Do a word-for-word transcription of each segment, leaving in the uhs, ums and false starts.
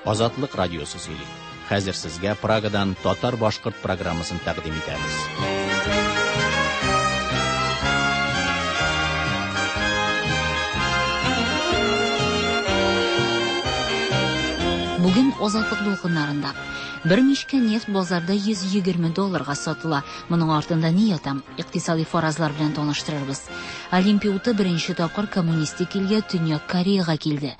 Азатлык радиосы сөйли. Хәзер сезгә Прагадан татар-башкорт программасын тәкъдим итәбез. Бүген Азатлык дулкыннарында бер мичкә нефть базарда йөз егерме долларга сатыла. Моның артында ни ята? Икътисади фаразлар белән таныштырырбыз. Олимпия уты беренче тапкыр коммунистик илгә Төньяк Кореяга килде.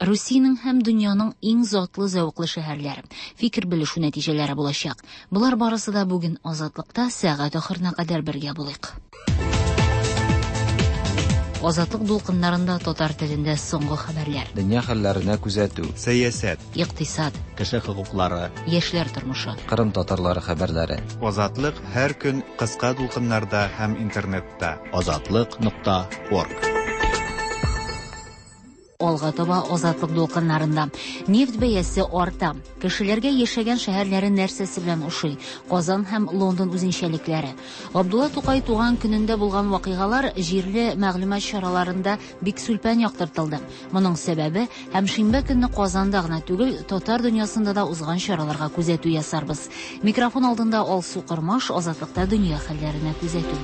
Русиянең һәм дөньяның иң затлы зәвыклы шәһәрләре. Фикер белешү нәтиҗәләре булачак. Болар барысы да бүген Азатлыкта сәгать ахырына кадәр бергә булыйк. Азатлык дулкыннарында татар телендә соңгы хәбәрләр. Дөнья хәлләренә күзәтү. Сәясәт. Икътисад. Кеше хокуклары. Яшьләр тормышы. Кырым татарлары хәбәрләре. Азатлык һәр көн кыска дулкыннарда һәм интернетта. Азатлык нокта орг. Алга таба Азатлык дулкыннарында нефть бәясе арта. Кешеләргә яшәгән шәһәрләре нәрсәсе белән ошый? Казан һәм Лондон үзенчәлекләре. Габдулла Тукай туган көнендә булган вакыйгалар җирле мәгълүмат чараларында бик сүлпән яктыртылды. Моның сәбәбе һәм шимбә көнне Казанда гына түгел, татар дөньясында да узган чараларга күзәтү ясарбыз. Микрофон алдында Алсу Кырмаш, Азатлыкта дөнья хәлләренә күзәтү.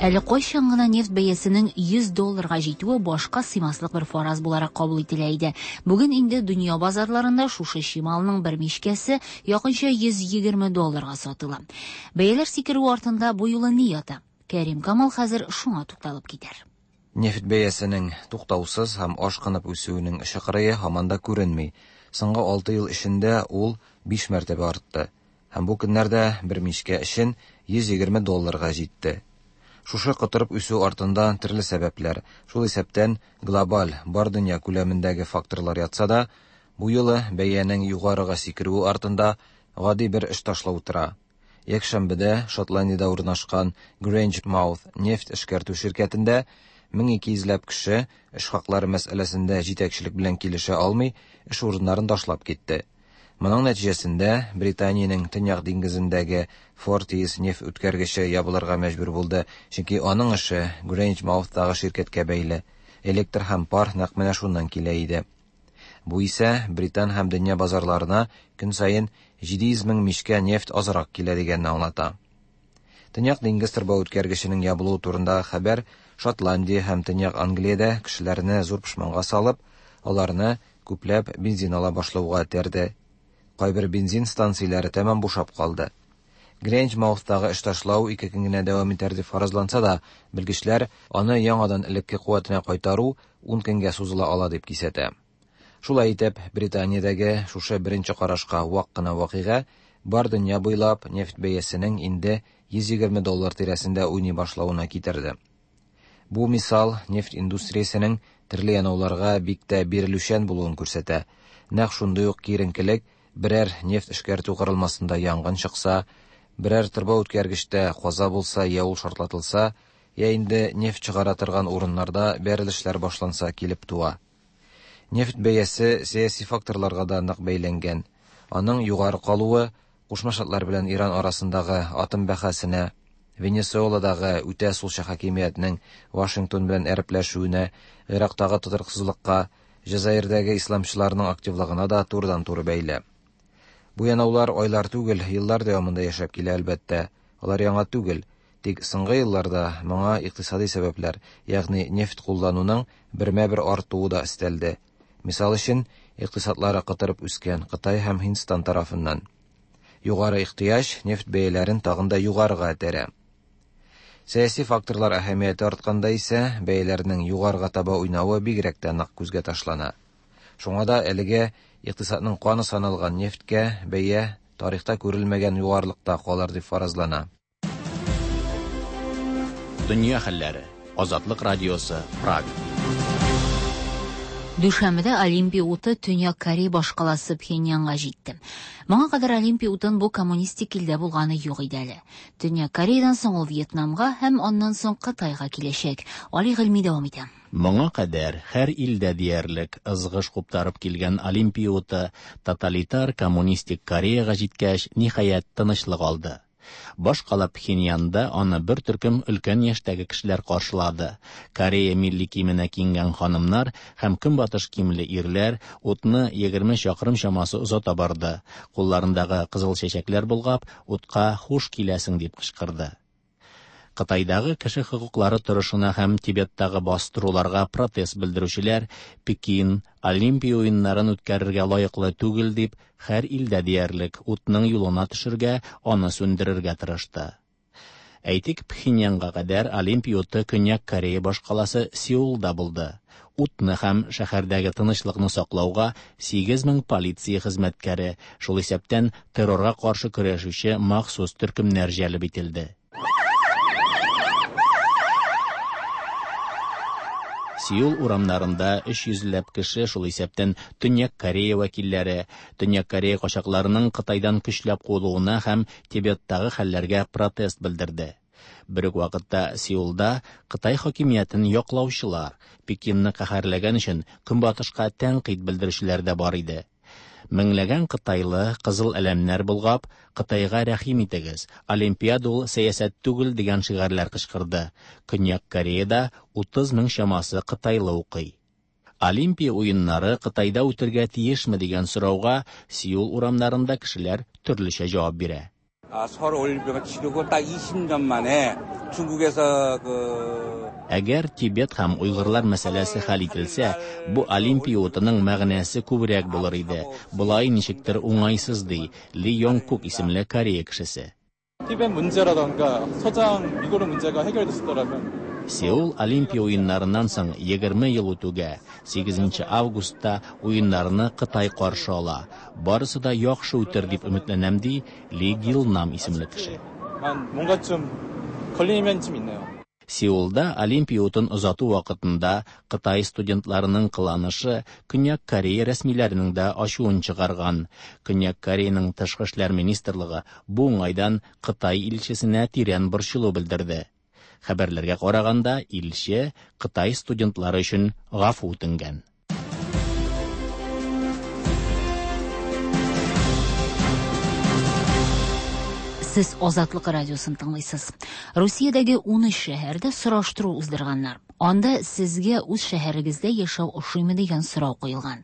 Әле кайчан гына нефть бәясенең йөз долларга җитүе башка сыймаслык бер фараз буларак кабул ителә иде. Бүген инде дөнья базарларында шушы чималның бер мичкәсе якынча йөз егерме долларга сатыла. Бәяләр сикерү артында бу юлы ни ята? Кәрим Камал хәзер шуңа тукталып китәр. Нефть бәясенең туктаусыз һәм ашкынып үсүенең чыкырые һаман да күренми. Соңгы алты ел эчендә ул биш мәртәбә артты. Һәм бу көннәрдә бер мичкә өчен йөз егерме долларга җитте. Шушы кытырып үсү артында төрле сәбәпләр, шул исәптән глобаль бар дөнья күләмендәге факторлар ятса да, бу юлы бәянең югарыга сикерүе артында гади бер эш ташлау тора. Якшәмбедә Шотландиядә урнашкан Grangemouth нефть эшкәртү ширкәтендә мең ике йөзләп кеше эш хаклары мәсьәләсендә җитәкчелек белән килешә алмый, эш урыннарын ташлап китте. Моның нәтиҗәсендә Британиянең Төньяк диңгезендәге Forties нефть үткәргече ябылырга мәҗбүр булды, чөнки аның эше Grangemouth-тагы ширкәткә бәйле. Электр һәм пар нәкъ менә шуннан килә иде. Бу исә Британ һәм дөнья базарларына көн саен җиде йөз мең мичкә нефть азрак килә дигәнне аңлата. Төньяк диңгез торба үткәргеченең ябылуы турындагы хәбәр Шотландия һәм Төньяк Англиядә кешеләрне зур пошманга салып, аларны күпләп бензин ала башлауга этәрде. Кайбер бензин станцияләре тәмам бушап калды. Grangemouth-тагы эш ташлау ике көн генә дәвам итәр дип фаразланса да, белгечләр аны яңадан элекке куәтенә кайтару ун көнгә сузыла ала дип кисәтә. Шулай итеп, Британиядәге шушы беренче карашка вак кына вакыйга бар дөнья буйлап нефть бәясенең инде йөз егерме доллар тирәсендә уйный башлавына китерде. Бу мисал нефть индустриясенең төрле янауларга бик тә бирелүчән булуын күрсәтә. Нәкъ шундый ук киеренкелек берәр нефть эшкәртү корылмасында янгын чыкса, берәр торба үткәргечтә каза булса, я ул шартлатылса, я инде нефть чыгара торган урыннарда бәрелешләр башланса килеп туа. Нефть бәясе сәяси факторларга да нык бәйләнгән. Аның югары калуы Кушма Штатлар белән Иран арасындагы атом бәхәсенә, Венесуэладагы үтә сулчы хакимиятнең Вашингтон белән әрепләшүенә, Ирактагы тотрыксызлыкка, Җәзаирдәге исламчыларның активлыгына да турыдан-туры бәйле. Бу янаулар айлар түгел, еллар дәвамында яшәп килә әлбәттә. Алар яңа түгел, тик соңгы елларда моңа икътисади сәбәпләр, ягъни нефть куллануның бермә-бер артуы да өстәлде. Мисал өчен, икътисадлары кытырып үскән Кытай һәм Һиндстан тарафыннан. Югары ихтыяҗ нефть бәяләрен тагын да югарыга этәрә. Сәяси факторлар әһәмияте артканда исә бәяләрнең югарыга таба уйнавы бигрәк тә нык күзгә ташлана. Шуңа да әлегә икътисадның каны саналган нефтькә бәя тарихта күрелмәгән югарылыкта калыр дип фаразлана. Дөнья хәлләре. Азатлык радиосы, Прага. Дүшәмбедә Олимпия уты Төньяк Корея башкаласы Пхеньянга җитте. Моңа кадәр Олимпия утын бу коммунистик илдә булганы юк иде әле. Төньяк Кореядан соң ул Вьетнамга һәм аннан соң Кытайга киләчәк. Али Гыйльми дәвам итә. Моңа кадәр һәр илдә диярлек ызгыш куптарып килгән Олимпия уты тоталитар коммунистик Кореяга җиткәч, ниһаять тынычлык алды. Башкала Пхеньянда аны бер төркем өлкән яшьтәге кешеләр каршылады. Корея милли киеменә киенгән ханымнар һәм көнбатыш киемле ирләр утны егерме чакрым чамасы озата барды. Кулларындагы кызыл чәчәкләр болгап, утка хуш киләсең дип кычкырды. Кытайдагы кеше хокуклары торышына һәм Тибеттагы бастыруларга протест белдерүчеләр Пекин Олимпия уеннарын үткәрергә лаеклы түгел дип һәр илдә диярлек утның юлына төшергә, аны сүндерергә тырышты. Әйтик, Пхеньянга кадәр Олимпия уты Көньяк Корея башкаласы Сеулда булды. Утны һәм шәһәрдәге тынычлыкны саклауга сигез мең полиция хезмәткәре, шул исәптән террорга каршы көрәшүче махсус төркемнәр җәлеп ителде. Сеул урамнарында өч йөзләп кеше, шул исәптән Төньяк Корея вәкилләре, Төньяк Корея качакларының Кытайдан көчләп куылуына һәм Тибеттагы хәлләргә протест белдерде. Бер үк вакытта Сеулда Кытай хакимиятен яклаучылар, Пекинны каһәрләгән өчен Көнбатышка тәнкыйть белдерүчеләр дә бар иде. Меңләгән кытайлы кызыл әләмнәр болгап, Кытайга рәхим итегез, Олимпиада ул сәясәт түгел дигән шигарьләр кычкырды. Көньяк Кореяда утыз мең чамасы кытайлы укый. Олимпия уеннары Кытайда үтергә тиешме дигән сорауга Сеул урамнарында кешеләр төрлечә җавап бирә. 서울 올림픽을 치르고 딱 이십 년 만에 중국에서 그 Әгәр Тибет һәм уйгырлар мәсьәләсе хәл ителсә, бу Олимпия утының мәгънәсе күбрәк булыр иде. Болай ничектер уңайсыз ди Ли Йонг-кук исемле Корея кешесе. Тибет 문제라던가 서장 위구르 문제가 해결됐었더라면 Сеул Олимпия уеннарыннан соң егерме ел үтүгә, сигезенче августта уеннарны Кытай каршы ала. Барысы да яхшы үтер дип өметләнәм, ди Ли Гилнам исемле кеше. 뭔가 좀 걸리면 좀 있네요. Сеулда Олимпия утын озату вакытында Кытай студентларының кыланышы Көньяк Корея рәсмиләренең дә ачуын чыгарган. Көньяк Кореяның тышкы эшләр министрлыгы бу уңайдан Кытай илчесенә тирән борчылу белдерде. Хәбәрләргә караганда, илче Кытай студентлары өчен гафу үтенгән. Сез Азатлык радиосын тыңлыйсыз. Русиядәге ун өч шәһәрдә сораштыру уздырганнар. Анда сезгә үз шәһәрегездә яшәү ошыймы дигән сорау куелган.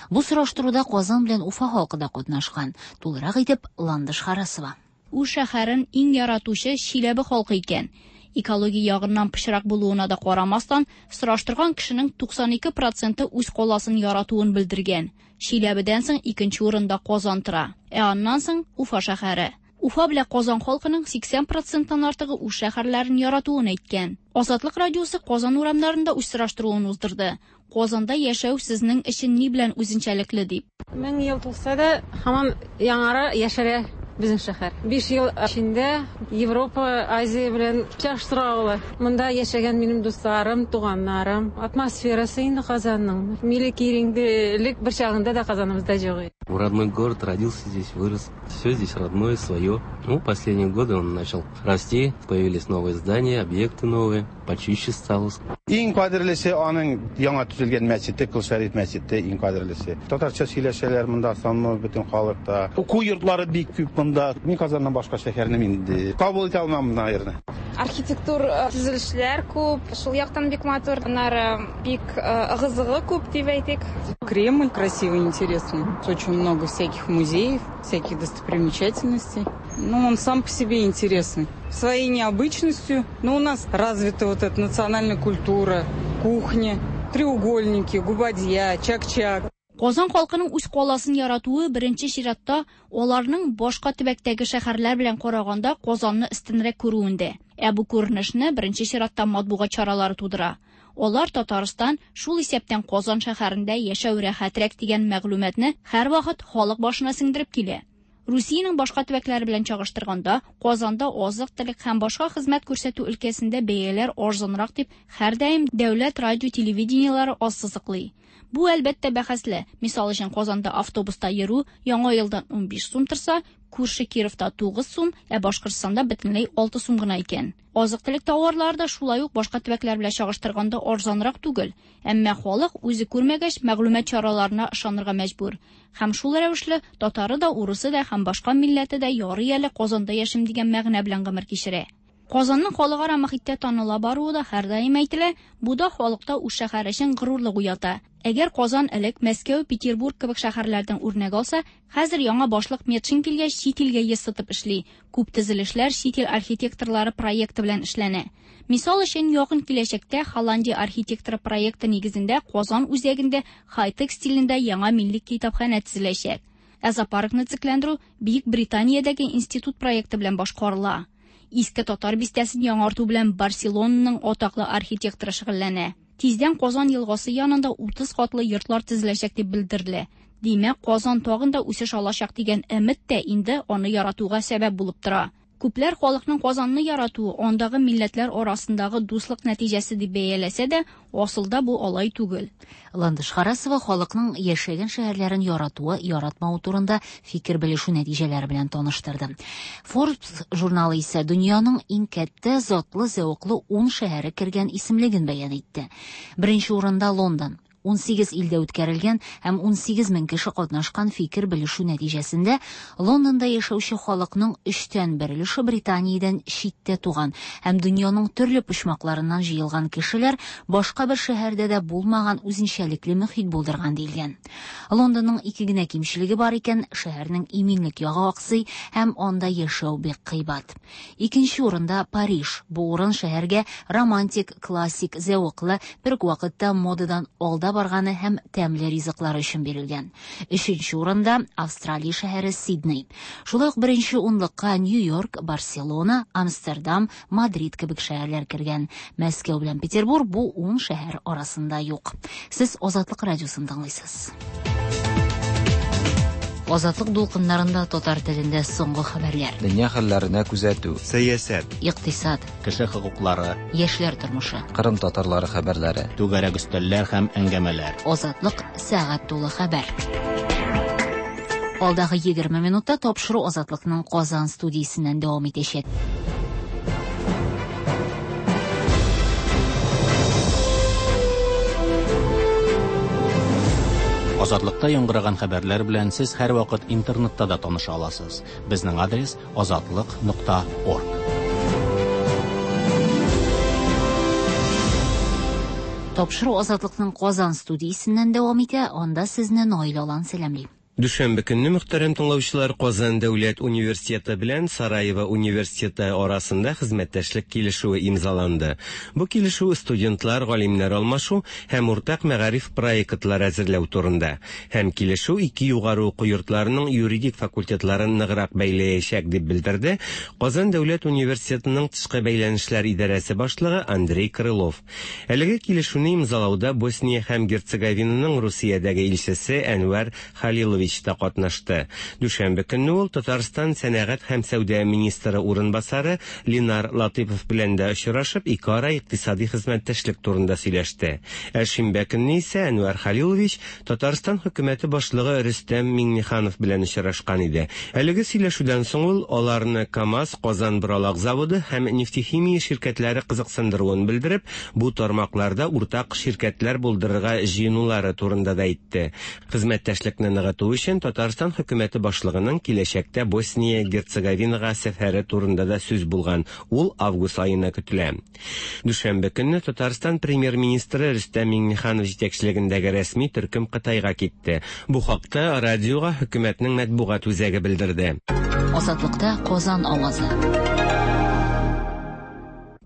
Бу сораштыруда Казан белән Уфа халкы да катнашкан. Тулырак итеп Ландыш Харасова. Үз шәһәрен иң яратучы Чиләбе халкы икән. Экология ягыннан пычрак булуына да карамастан, сораштырган кешенең туксан ике проценты үз каласын яратуын белдергән. Чиләбедән соң икенче урында Казан тора, ә аннан соң Уфа шәһәре. Уфа белән Казан халкының сиксән проценттан артыгы үз шәһәрләрен яратуын әйткән. Азатлык радиосы Казан урамнарында үз сораштыруын уздырды. Казанда яшәү сезнең өчен ни белән үзенчәлекле дип. Мең ел тулса да, һаман яңара яшәрә безнең шәһәр. Биш ел эчендә Европа, Азия белән чагыштыра ала. Монда яшәгән минем дусларым, туганнарым, атмосферасы инде Казанның. Милли киеренкелек бер чагында да Казаныбызда юк иде. Родной город, родился здесь, вырос. Все здесь родное, свое. Ну, последние годы он начал расти, появились новые здания, объекты новые, почище стало. Иң кадерлесе аның яңа төзелгән мәчете, Кол Шәриф мәчете иң кадерлесе. Татарча сөйләшәләр монда, санлы бөтен халыкта. Уку йортлары бик күп монда. Мин Казаннан башка шәһәрне мин инде кабул итә алмам наверное. Архитектур төзелешләр күп, шул яктан бик матур, аннары бик ыгы-зыгы күп дип әйтик. Кремль красивый, интересный. Очень много всяких музеев, всяких достопримечательностей. Ну, он сам по себе интересный. Своей необычностью. Но у нас развита вот эта национальная культура, кухня, треугольники, губадья, чак-чак. Казан халкының үз каласын яратуы беренче чиратта аларның башка төбәктәге шәһәрләр белән караганда Казанны өстенрәк күрүендә. Ә бу күренешне беренче чиратта матбугат чаралары тудыра. Алар Татарстан, шул исәптән Казан шәһәрендә яшәү рәхәтрәк дигән мәгълүматны һәрвакыт халык башына сеңдереп килә. Русиянең башка төбәкләре белән чагыштырганда, Казанда азык-төлек һәм башка хезмәт күрсәтү өлкәсендә бәяләр арзанрак дип һәрдаим дәүләт радио телевидениеләре ассызыклый. Бу әлбәттә бәхәсле. Мисал өчен, Казанда автобуста йөрү яңа елдан унбиш сум торса, Күрше Кировта тугыз сум, ә Башкортстанда бөтенләй алты сум гына икән. Азык-төлек тауарлары да шулай ук башка төбәкләр белән чагыштырганда арзанрак түгел. Әмма халык үзе күрмәгәч, мәгълүмат чараларына ышанырга мәҗбүр. Һәм шул рәвешле татары да, урысы да һәм башка милләте дә ярый әле Казанда яшим дигән мәгънә белән гомер кичерә. Казанның халыкара мохиттә таныла баруы да һәрдаим әйтелә, бу да халыкта үз шәһәре өчен горурлык уята. Әгәр Казан элек Мәскәү, Петербург кебек шәһәрләрдән үрнәк алса, хәзер яңа башлык Метшин килгәч чит илгә йөз тотып эшли. Күп төзелешләр чит ил архитекторлары проекты белән эшләнә. Мисал өчен, якын киләчәктә Холландия архитекторы проекты нигезендә Казан үзәгендә хай-тек стилендә яңа милли китапханә төзеләчәк. Ә зоопаркны төзекләндерү Бөек Британиядәге институт проекты белән башкарыла. Иске татар бистәсен яңарту белән Барселонаның атаклы архитекторы шөгыльләнә. Тиздән Казан елгасы янында утыз катлы йортлар төзеләчәк дип белдерелә. Димәк, Казан тагын да үсеш алачак дигән өмет тә инде аны яратуга сәбәп булып тора. Күпләр халыкның Казанны яратуы андагы милләтләр арасындагы дуслык нәтиҗәсе дип бәяләсә дә, асылда бу алай түгел. Ландыш Харасова халыкның яшәгән шәһәрләрен яратуы, яратмавы турында фикер белешү нәтиҗәләре белән таныштырды. Forbes журналы исә дөньяның иң кәттә затлы зәвыклы ун шәһәре кергән исемлеген бәян итте. Беренче урында Лондон. ун сигез илдә үткәрелгән һәм ун сигез мең кеше катнашкан фикер белешү нәтиҗәсендә Лондонда яшәүче халыкның өчтән бер өлеше Британиядән читтә туган һәм дөньяның төрле почмакларыннан җыелган кешеләр башка бер шәһәрдә дә булмаган үзенчәлекле мөхит булдырган диелгән. Лондонның ике генә кимчелеге бар икән, шәһәрнең иминлек ягы аксый һәм анда яшәү бик кыйбат. Икенче урында Париж. Бу урын шәһәргә романтик, классик, зәвыклы, бер үк вакытта модадан алда барганы һәм тәмле ризыклар өчен бирелгән. Өченче урында Австралия шәһәре Сидней. Шулай ук беренче унлыкка Нью-Йорк, Барселона, Амстердам, Мадрид кебек шәһәрләр кергән. Мәскәү белән Петербург бу ун шәһәр арасында юк. Сез Азатлык радиосын тыңлыйсыз. Азатлык дулкыннарында татар телендә соңгы хәбәрләр. Дөнья хәлләренә күзәтү, сәясәт, икътисад, кеше хокуклары, яшьләр тормышы, Кырым татарлары хәбәрләре, түгәрәк өстәлләр һәм әңгәмәләр. Азатлык сәгать тулы хәбәр. Алдагы егерме минутта тапшыру Азатлыкның Казан студиясеннән дәвам итәчәк. Азатлыкта яңгыраган хәбәрләр белән сез һәр вакыт интернетта да таныша аласыз. Безнең адрес азатлык нокта орг. Тапшыру Азатлыкның Казан студиясеннән дәвам итә. Анда сезне Наил Алан сәламли. Дүшәмбе көнне мөхтәрәм тыңлаучылар Казан дәүләт университеты белән Сараево университеты арасында хезмәттәшлек килешүе имзаланды. Бу килешү студентлар, галимнәр алмашу һәм уртак мәгариф проектлары әзерләү турында. Һәм килешү ике югары уку йортларының юридик факультетларын ныграк бәйләячәк дип белдерде Казан дәүләт университетының тышкы бәйләнешләр идарәсе башлыгы Андрей Крылов. Әлеге килешүне имзалауда Босния һәм Герцеговинаның Русиядәге илчесе Әнвәр Халилович та катнашты. Дүшәмбе көнне ул Татарстан сәнәгать һәм сәүдә министры урынбасары Ленар Латыпов белән дә очрашып, ике ара икътисади хезмәттәшлек турында сөйләште. Ә шимбә көнне исә Әнвәр Халилович Татарстан хөкүмәте башлыгы Рөстәм Миңнеханов белән очрашкан иде. Әлеге сөйләшүдән соң ул аларны КАМАЗ, Казан боралак заводы һәм нефтехимия ширкәтләре кызыксындыруын белдереп, бу тармакларда уртак ширкәтләр булдырырга җыенулары турында да әйтте. Хезмәттәшлекне ныгыту өчен Татарстан хөкүмәте башлыгының киләчәктә Босния Герцеговинага сәфәре турында да сүз булган. Ул август аена көтелә. Дүшәмбе көнне Татарстан премьер-министры Рөстәм Миңнеханов җитәкчелегендәге рәсми төркем Кытайга китте. Бу хакта радиога хөкүмәтнең матбугат үзәге белдерде. Азатлыкта Казан авазы.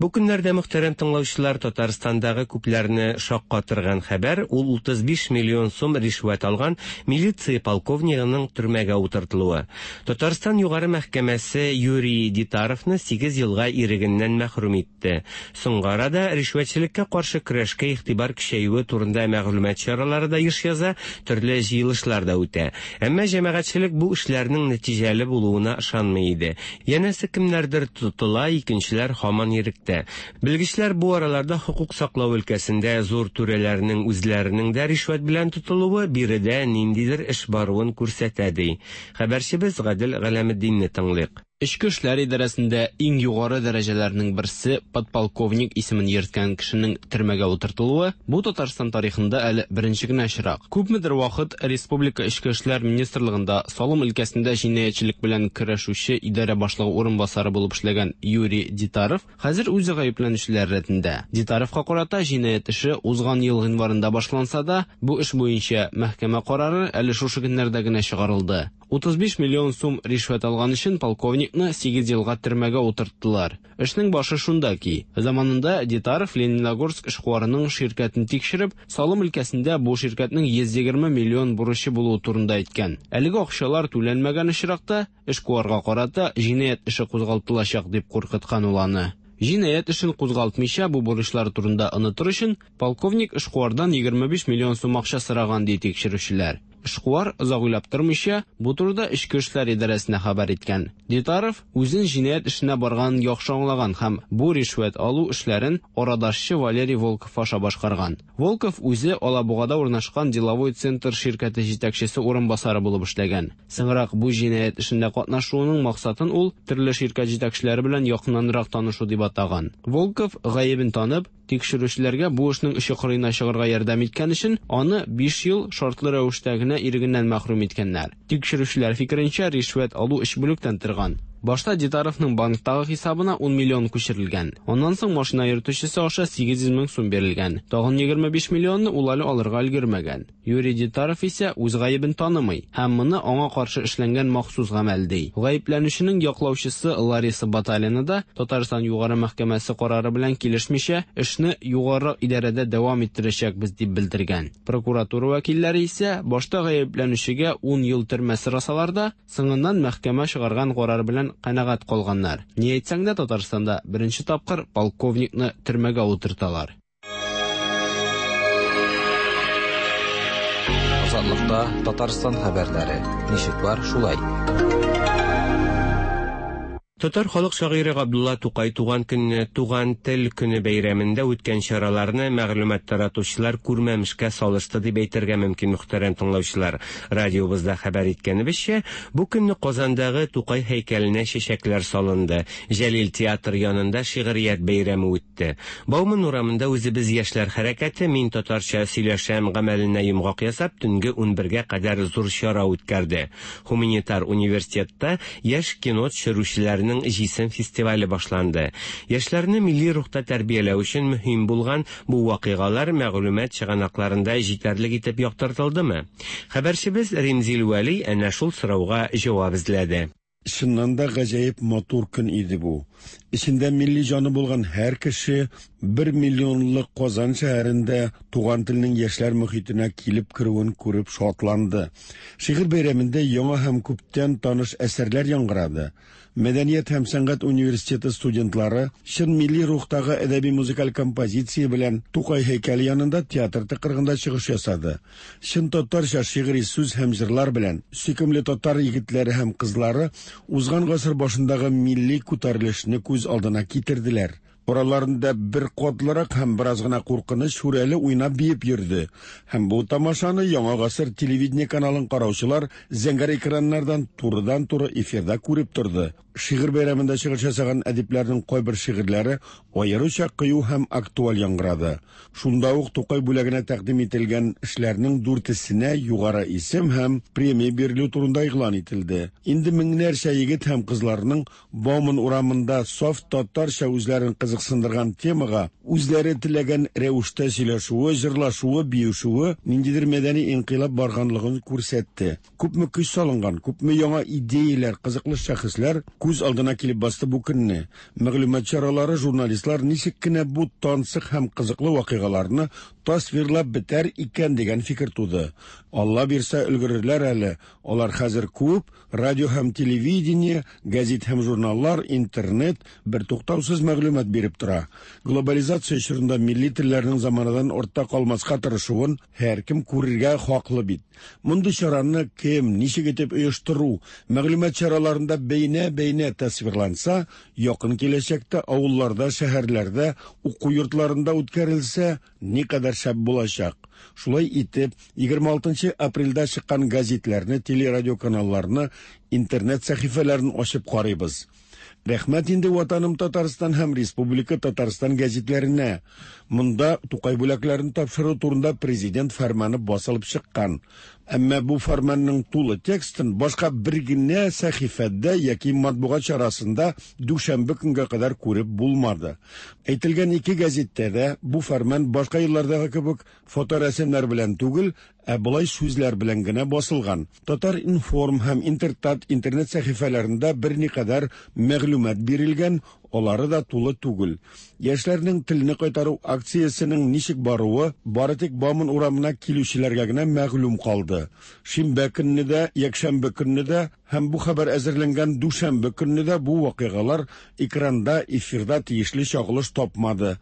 Бу көннәрдә мөхтәрәм тыңлаучылар Татарстандагы күпләрне шаккатырган хәбәр ул утыз биш миллион сум ришвәт алган милиция полковнигының төрмәгә утыртылуы. Татарстан югары мәхкәмәсе Юрий Дитаровны сигез елга ирегеннән мәхрүм итте. Соңгы арада ришвәтчелеккә каршы көрәшкә игътибар көчәюе турында мәгълүмат чаралары да еш яза, төрле җыелышлар да үтә. Әмма җәмәгатьчелек бу эшләрнең нәтиҗәле булуына ышанмый иде. Янәсе кемнәрдер тотыла, икенчеләр һаман иректә. итә. Белгечләр бу араларда хокук саклау өлкәсендә зур түрәләрнең үзләренең дә ришвәт белән тотылуы биредә ниндидер эш баруын күрсәтә ди. Хәбәрчебез Гадел Галәметдинне тыңлыйк. Эчке эшләр идарәсендә иң югары дәрәҗәләрнең берсе подполковник исемен йөрткән кешенең төрмәгә утыртылуы бу Татарстан тарихында әле беренче генә очрак. Күпмедер вакыт Республика Эчке эшләр министрлыгында салым өлкәсендә җинаятьчелек белән көрәшүче идарә башлыгы урынбасары булып эшләгән Юрий Дитаров хәзер үзе гаепләнүчеләр рәтендә. Дитаровка карата җинаять эше узган ел гыйнварында башланса да, бу эш буенча мәхкәмә карары әле шушы көннәрдә генә чыгарылды. утыз биш миллион сум ришвәт алган өчен полковникны сигез елга төрмәгә утырттылар. Эшнең башы шунда ки, заманында Дитаров Лениногорск эшкуарының ширкәтен тикшереп, салым өлкәсендә бу ширкәтнең йөз егерме миллион бурычы булуы турында әйткән. Әлеге акчалар түләнмәгән очракта эшкуарга карата җинаять эше кузгалтылачак дип куркыткан ул аны. Җинаять эшен кузгалтмыйча бу бурычлар турында онытыр өчен полковник эшкуардан егерме биш миллион сум акча сораган ди тикшерүчеләр. Эшкуар озак уйлап тормыйча бу турыда Эчке эшләр идарәсенә хәбәр иткән. Дитаров үзен җинаять эшенә барганын яхшы аңлаган һәм бу ришвәт алу эшләрен арадашчы Валерий Волков аша башкарган. Волков үзе Алабугада урнашкан Деловой центр ширкәте җитәкчесе урынбасары булып эшләгән. Соңрак бу җинаять эшендә катнашуының максатын ул төрле ширкәт җитәкчеләре белән якыннанрак танышу дип атаган. Волков гаебен танып, тикшерүчеләргә бу эшнең очы кырыена чыгарга ярдәм иткән өчен аны биш ел шартлы рәвештә генә ирегеннән мәхрүм иткәннәр. Тикшерүчеләр фикеренчә, ришвәт алу өч бүлектән торган. Башта Дитаровның банктагы хисабына ун миллион күчерелгән. Аннан соң машина йөртүчесе аша сигез йөз мең сум бирелгән. Тагын егерме биш миллионны ул әле алырга өлгермәгән. Юрий Дитаров исә үз гаебен танымый һәм моны аңа каршы эшләнгән махсус гамәл ди. Гаепләнүченең яклаучысы Лариса Баталина да Татарстан Югары мәхкәмәсе карары белән килешмичә эшне югары идарәдә дәвам иттерәчәкбез дип белдергән. Прокуратура вәкилләре исә башта гаепләнүчегә ун ел төрмә сорасалар да, соңыннан мәхкәмә чыгарган карар белән канәгать калганнар. Ни әйтсәң дә, Татарстанда беренче тапкыр полковникны төрмәгә утырталар. Азатлыкта Татарстан хәбәрләре. Ничек бар, шулай. Татар халык шагыйре Габдулла Тукай туган көнне, туган тел көне бәйрәмендә үткән чараларны мәгълүмат таратучылар күрмәмешкә салышты дип әйтергә мөмкин, мөхтәрәм тыңлаучылар. Радиобызда хәбәр иткәнебезчә, бу көнне Казандагы Тукай һәйкәленә чәчәкләр салынды. Җәлил театр янында шигърият бәйрәме үтте. Бауман урамында үзебез яшьләр хәрәкәте «Мин татарча сөйләшәм» гамәленә йомгак ясап, төнге унбергә кадәр зур чара үткәрде. Гуманитар университетта яшь кино төшерүчеләрнең Җисем фестивале башланды. Яшьләрне милли рухта тәрбияләү өчен мөһим булган бу вакыйгалар мәгълүмат чыганакларында җитәрлек итеп яктыртылдымы? Хәбәрчебез Римзил Вәли әнә шул сорауга җавап эзләде. Чыннан да гаҗәеп матур көн иде бу. Эчендә милли җаны булган һәр кеше бер миллионлык Казан шәһәрендә туган телнең яшьләр мөхитенә килеп керүен күреп шатланды. Шигырь бәйрәмендә яңа һәм күптән таныш әсәрләр яңгырады. Мәдәният һәм сәнгать университеты студентлары чын милли рухтагы әдәби музыкаль композиция белән Тукай һәйкәле янында театр тыкрыгында чыгыш ясады. Чын татарча шигъри сүз һәм җырлар белән сөйкемле татар егетләре һәм кызлары узган гасыр башындагы милли күтәрелешне күз алдына китерделәр. Араларында бер катлырак һәм бераз гына куркыныч шүрәле уйнап биеп йөрде. Һәм бу тамашаны Яңа гасыр телевидение каналын караучылар зәңгәр экраннардан турыдан-туры эфирда күреп торды. Шигырь бәйрәмендә чыгыш ясаган әдипләрнең кайбер шигырьләре аеруча кыю һәм актуаль яңгырады. Шунда ук Тукай бүләгенә тәкъдим ителгән эшләрнең дүртесенә югары исем һәм премия бирелү турында игълан ителде. Инде меңнәрчә егет һәм кызларның Бауман урамында саф татарча үзләрен кызыксындырган темага үзләре теләгән рәвештә сөйләшүе, җырлашуы, биюшүе ниндидер мәдәни инкыйлаб барганлыгын күрсәтте. Күпме көч салынган, күпме яңа идеяләр, кызыклы шәхесләр күз алдына килеп басты бу көнне. Мәгълүмат чаралары, журналистлар ничек кенә бу тансык һәм кызыклы вакыйгаларны тасвирлап бетәр икән дигән фикер туды. Алла бирсә өлгерерләр әле. Алар хәзер күп, радио һәм телевидение, гәзит һәм журналлар, интернет бер туктаусыз мәгълүмат биреп тора. Глобализация чорында милли телләрнең заманадан артта калмаска тырышуын һәркем күрергә хаклы бит. Мондый чараны кем, ничек итеп оештыру, мәгълүмат чараларында бәйнә-бәйнә тирәнәйнә тасвирланса, якын киләчәктә авылларда, шәһәрләрдә, уку йортларында үткәрелсә, никадәр шәп булачак. Шулай итеп, егерме алтынчы апрельдә чыккан газетләрне, телерадиоканалларны, интернет сәхифәләрен ачып карыйбыз. Рәхмәт инде Ватаным Татарстан һәм Республика Татарстан гәзитләренә. Монда Тукай бүләкләрен тапшыру турында президент фәрманы басылып чыккан. Әмма бу фәрманның тулы текстын башка бер генә сәхифәдә яки матбугат чарасында дүшәмбе көнгә кадәр күреп булмады. Әйтелгән ике гәзиттә дә бу фәрман башка еллардагы кебек фоторәсемнәр белән түгел, ә болай сүзләр белән генә басылган. Татар-информ һәм Интертат интернет сәхифәләрендә берникадәр мәгълүмат бирелгән, алары да тулы түгел. Яшьләрнең телне кайтару акциясенең ничек баруы бары тик Бауман урамына килүчеләргә генә мәгълүм калды. Шимбә көнне дә, якшәмбе көнне дә һәм бу хәбәр әзерләнгән дүшәмбе көнне дә бу вакыйгалар экранда, эфирда тиешле чагылыш тапмады.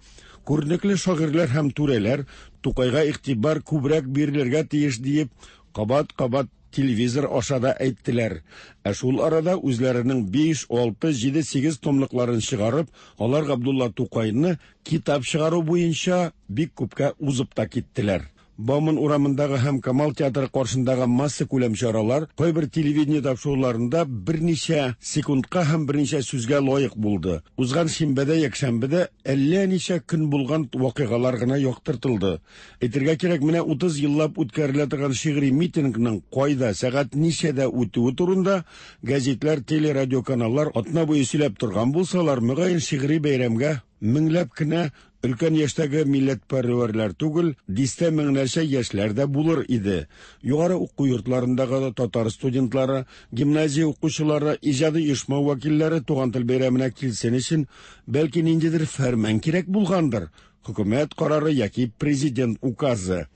Күренекле шагыйрьләр һәм түрәләр Тукайга игътибар күбрәк бирелергә тиеш диеп кабат-кабат телевизор аша да әйттеләр. Ә шул арада үзләренең биш, алты, җиде, сигез томлыкларын чыгарып, алар Габдулла Тукайны китап чыгару буенча бик күпкә узып та киттеләр. Бауман урамындагы һәм Камал театры каршындагы масса күләм чаралар кайбер телевидение тапшыруларында берничә секундка һәм берничә сүзгә лаек булды. Узган шимбәдә, якшәмбедә әллә ничә көн булган вакыйгалар гына яктыртылды. Әйтергә кирәк, менә утыз еллап үткәрелә торган шигъри митингның кайда, сәгать ничәдә үтүе турында гәзитләр, телерадиоканаллар атна буе сөйләп торган булсалар, мөгаен шигъри бәйрәмгә меңләп кенә өлкән яшьтәге милләтпәрвәрләр түгел, дистә меңнәрчә яшьләр дә булыр иде. Югары уку йортларындагы татар студентлары, гимназия укучылары, иҗади оешма вәкилләре туган тел бәйрәменә килсен өчен, бәлки ниндидер фәрман кирәк булгандыр, хөкүмәт карары яки президент указы.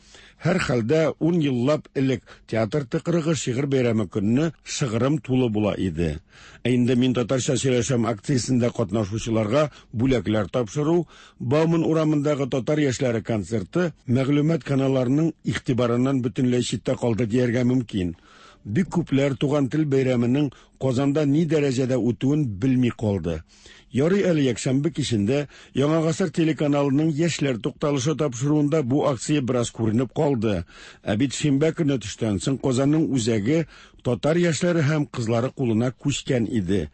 Һәр хәлдә ун еллап элек театр тыкрыгы шигырь бәйрәме көнне шыгрым тулы була иде. Ә инде мин татарча сөйләшәм акциясендә катнашучыларга бүләкләр тапшыру, Бауман урамындагы татар яшьләре концерты мәгълүмат каналларының игътибарыннан бөтенләй читтә калды дияргә мөмкин. Бик күпләр туган тел бәйрәменең Казанда ни дәрәҗәдә үтүен белми калды. Ярый әле якшәмбе кичендә Яңа гасыр телеканалының яшьләр тукталышы тапшыруында бу акция бераз күренеп калды. Ә бит шимбә көне төштән соң Казанның үзәге татар яшьләре һәм кызлары кулына күчкән иде.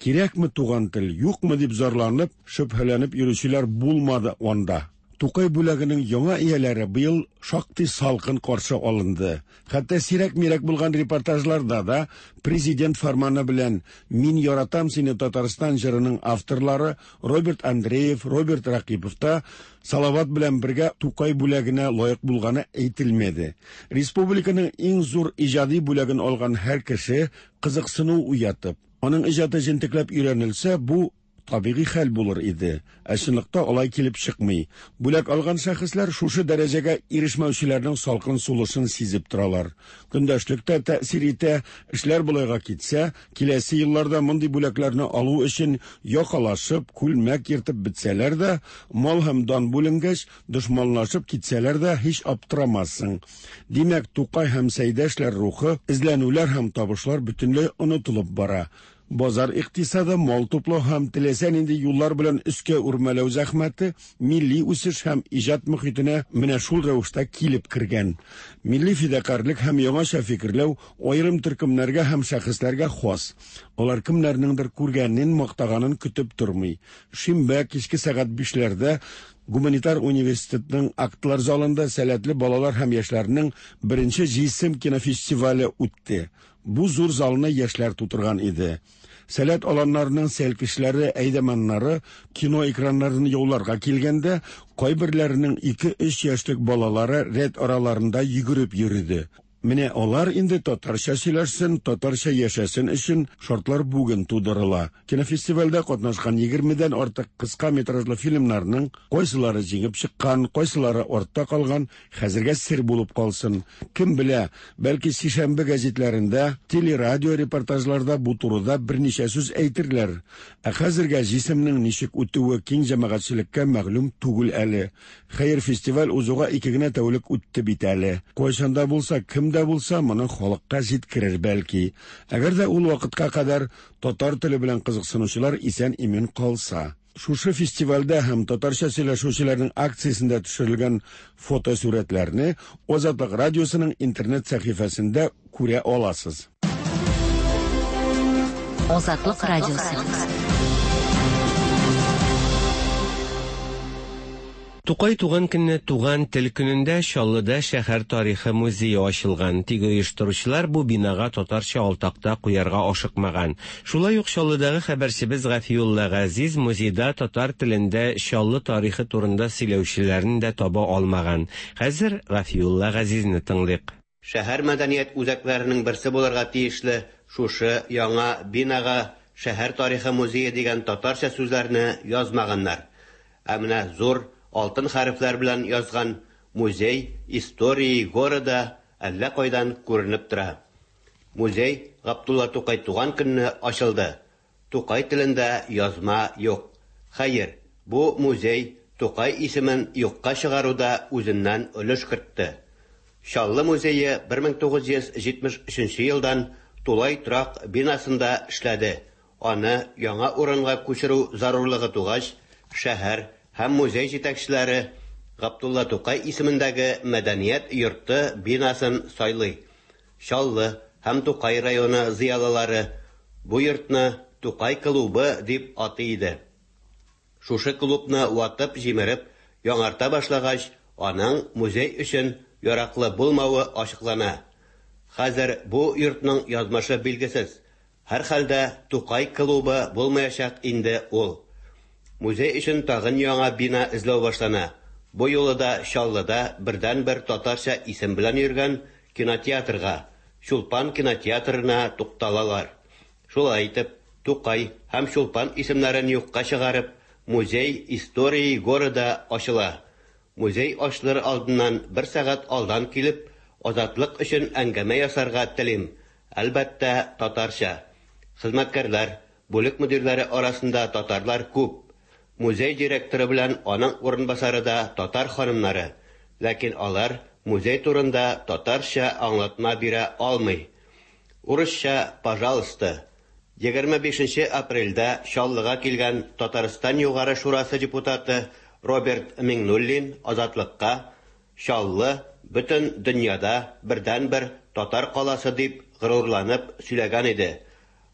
Кирәкме туган тел, юкмы дип зарланып, шөбһәләнеп йөрүчеләр булмады анда. Тукай бүләгенең яңа ияләре быел шактый салкын каршы алынды. Хәтта сирәк-мирәк булган репортажларда да президент фәрманы белән «Мин яратам сине, Татарстан» җырының авторлары Роберт Андреев, Роберт Ракипов та Салават белән бергә Тукай бүләгенә лаек булганы әйтелмәде. Республиканың иң зур иҗади бүләген алган һәр кеше кызыксыну уятып, аның иҗаты җентекләп өйрәнелсә, бу табигый хәл булыр иде. Ә чынлыкта алай килеп чыкмый. Бүләк алган шәхесләр шушы дәрәҗәгә ирешмәүчеләрнең салкын сулышын сизеп торалар. Көндәшлек тә тәэсир итә, эшләр болайга китсә, киләсе елларда мондый бүләкләрне алу өчен якалашып, күлмәк ертып бетсәләр дә, мал һәм дан бүленгәч, дошманлашып китсәләр дә һич аптырамассың. Димәк, Тукай һәм Сәйдәшләр рухы, эзләнүләр һәм табышлар бөтенләй онытылып бара. Базар икътисады, мал туплау һәм теләсә нинди юллар белән өскә үрмәләү зәхмәте милли үсеш һәм иҗат мөхитенә менә шул рәвештә килеп кергән. Милли фидакарьлек һәм яңача фикерләү аерым төркемнәргә һәм шәхесләргә хас. Алар кемнәрнеңдер күргәнен, мактаганын көтеп тормый. Шимбә кичке сәгать бишләрдә Гуманитар университетның актлар залында сәләтле балалар һәм яшьләрнең беренче җисем кинофестивале үтте. Бу зур залны яшьләр тутырган иде. Сәләт аланнарының сәлкешләре, әйдәманнары кино экраннарын яуларга килгәндә, кайберләренең ике-өч яшьлек балалары рәт араларында йөгереп йөрде. Менә алар инде татарча сөйләшсен, татарча яшәсен өчен шартлар бүген тудырыла. Кинофестивальдә катнашкан егермедән артык кыска метражлы фильмнарның кайсылары җиңеп чыккан, кайсылары артта калган, хәзергә сер булып калсын. Кем белә, бәлки сишәмбе гәзитләрендә, телерадио репортажларда бу турыда берничә сүз әйтерләр. Ә хәзергә җисемнең ничек үтүе киң җәмәгатьчелеккә мәгълүм түгел әле. Хәер, фестиваль узуга ике генә тәүлек үтте бит әле. Кайчанда булса кем Кем дә булса моны халыкка җиткерер бәлки. Әгәр дә ул вакытка кадәр татар теле белән кызыксынучылар исән-имин калса. Шушы фестивальдә һәм татарча сөйләшүчеләрнең акциясендә төшерелгән фотосурәтләрне Азатлык радиосының интернет сәхифәсендә күрә аласыз. Азатлык радиосы. Тукай туган көнне Туган тел көнендә Чаллыда шәһәр тарихы музее ачылган. Тик оештыручылар бу бинага татарча алтакта куярга ашыкмаган. Шулай ук Чаллыдагы хәбәрчебез Гафиулла Газиз музейда татар телендә Чаллы тарихы турында сөйләүчеләрне дә таба алмаган. Хәзер Гафиулла Газизне тыңлыйк. Шәһәр мәдәният үзәкләренең берсе булырга тиешле шушы яңа бинага шәһәр тарихы музее дигән татарча сүзләрне язмаганнар. Ә менә зур алтын хәрефләр белән язган «Музей истории города» әллә кайдан күренеп тора. Музей Габдулла Тукай туган көнне ачылды. Тукай телендә язма юк. Хәер, бу музей Тукай исемен юкка чыгаруда үзеннән өлеш кертте. Чаллы музее бер мең тугыз йөз җитмеш өченче елдан тулай торак бинасында эшләде. Аны яңа урынга күчерү зарурлыгы тугач, шәһәр һәм музей җитәкчеләре Габдулла Тукай исемендәге мәдәният йорты бинасын сайлый. Чаллы һәм Тукай районы зыялылары бу йортны Тукай клубы дип атый иде. Шушы клубны ватып җимереп яңарта башлагач, аның музей өчен яраклы булмавы ачыклана. Хәзер бу йортның язмышы билгесез. Һәр хәлдә Тукай клубы булмаячак инде ул. Музей өчен тагын яңа бина эзләү башлана. Бу юлы да Чаллыда бердән-бер татарча исем белән йөргән кинотеатрга, Чулпан кинотеатрына тукталалар. Шулай итеп, Тукай һәм Чулпан исемнәрен юкка чыгарып, Музей истории города ачыла. Музей ачылыр алдыннан бер сәгать алдан килеп, Азатлык өчен әңгәмә ясарга телим. Әлбәттә, татарча. Хезмәткәрләр, бүлек мөдирләре арасында татарлар күп. Музей директоры белән аның урынбасары да татар ханымнары. Ләкин алар музей турында татарча аңлатма бирә алмый. Урысча, пожалуйста. Егерме бишенче апрельдә Чаллыга килгән Татарстан Югары Шурасы депутаты Роберт Миңнуллин Азатлыкка Чаллы бөтен дөньяда бердән-бер татар каласы дип горурланып сөйләгән иде.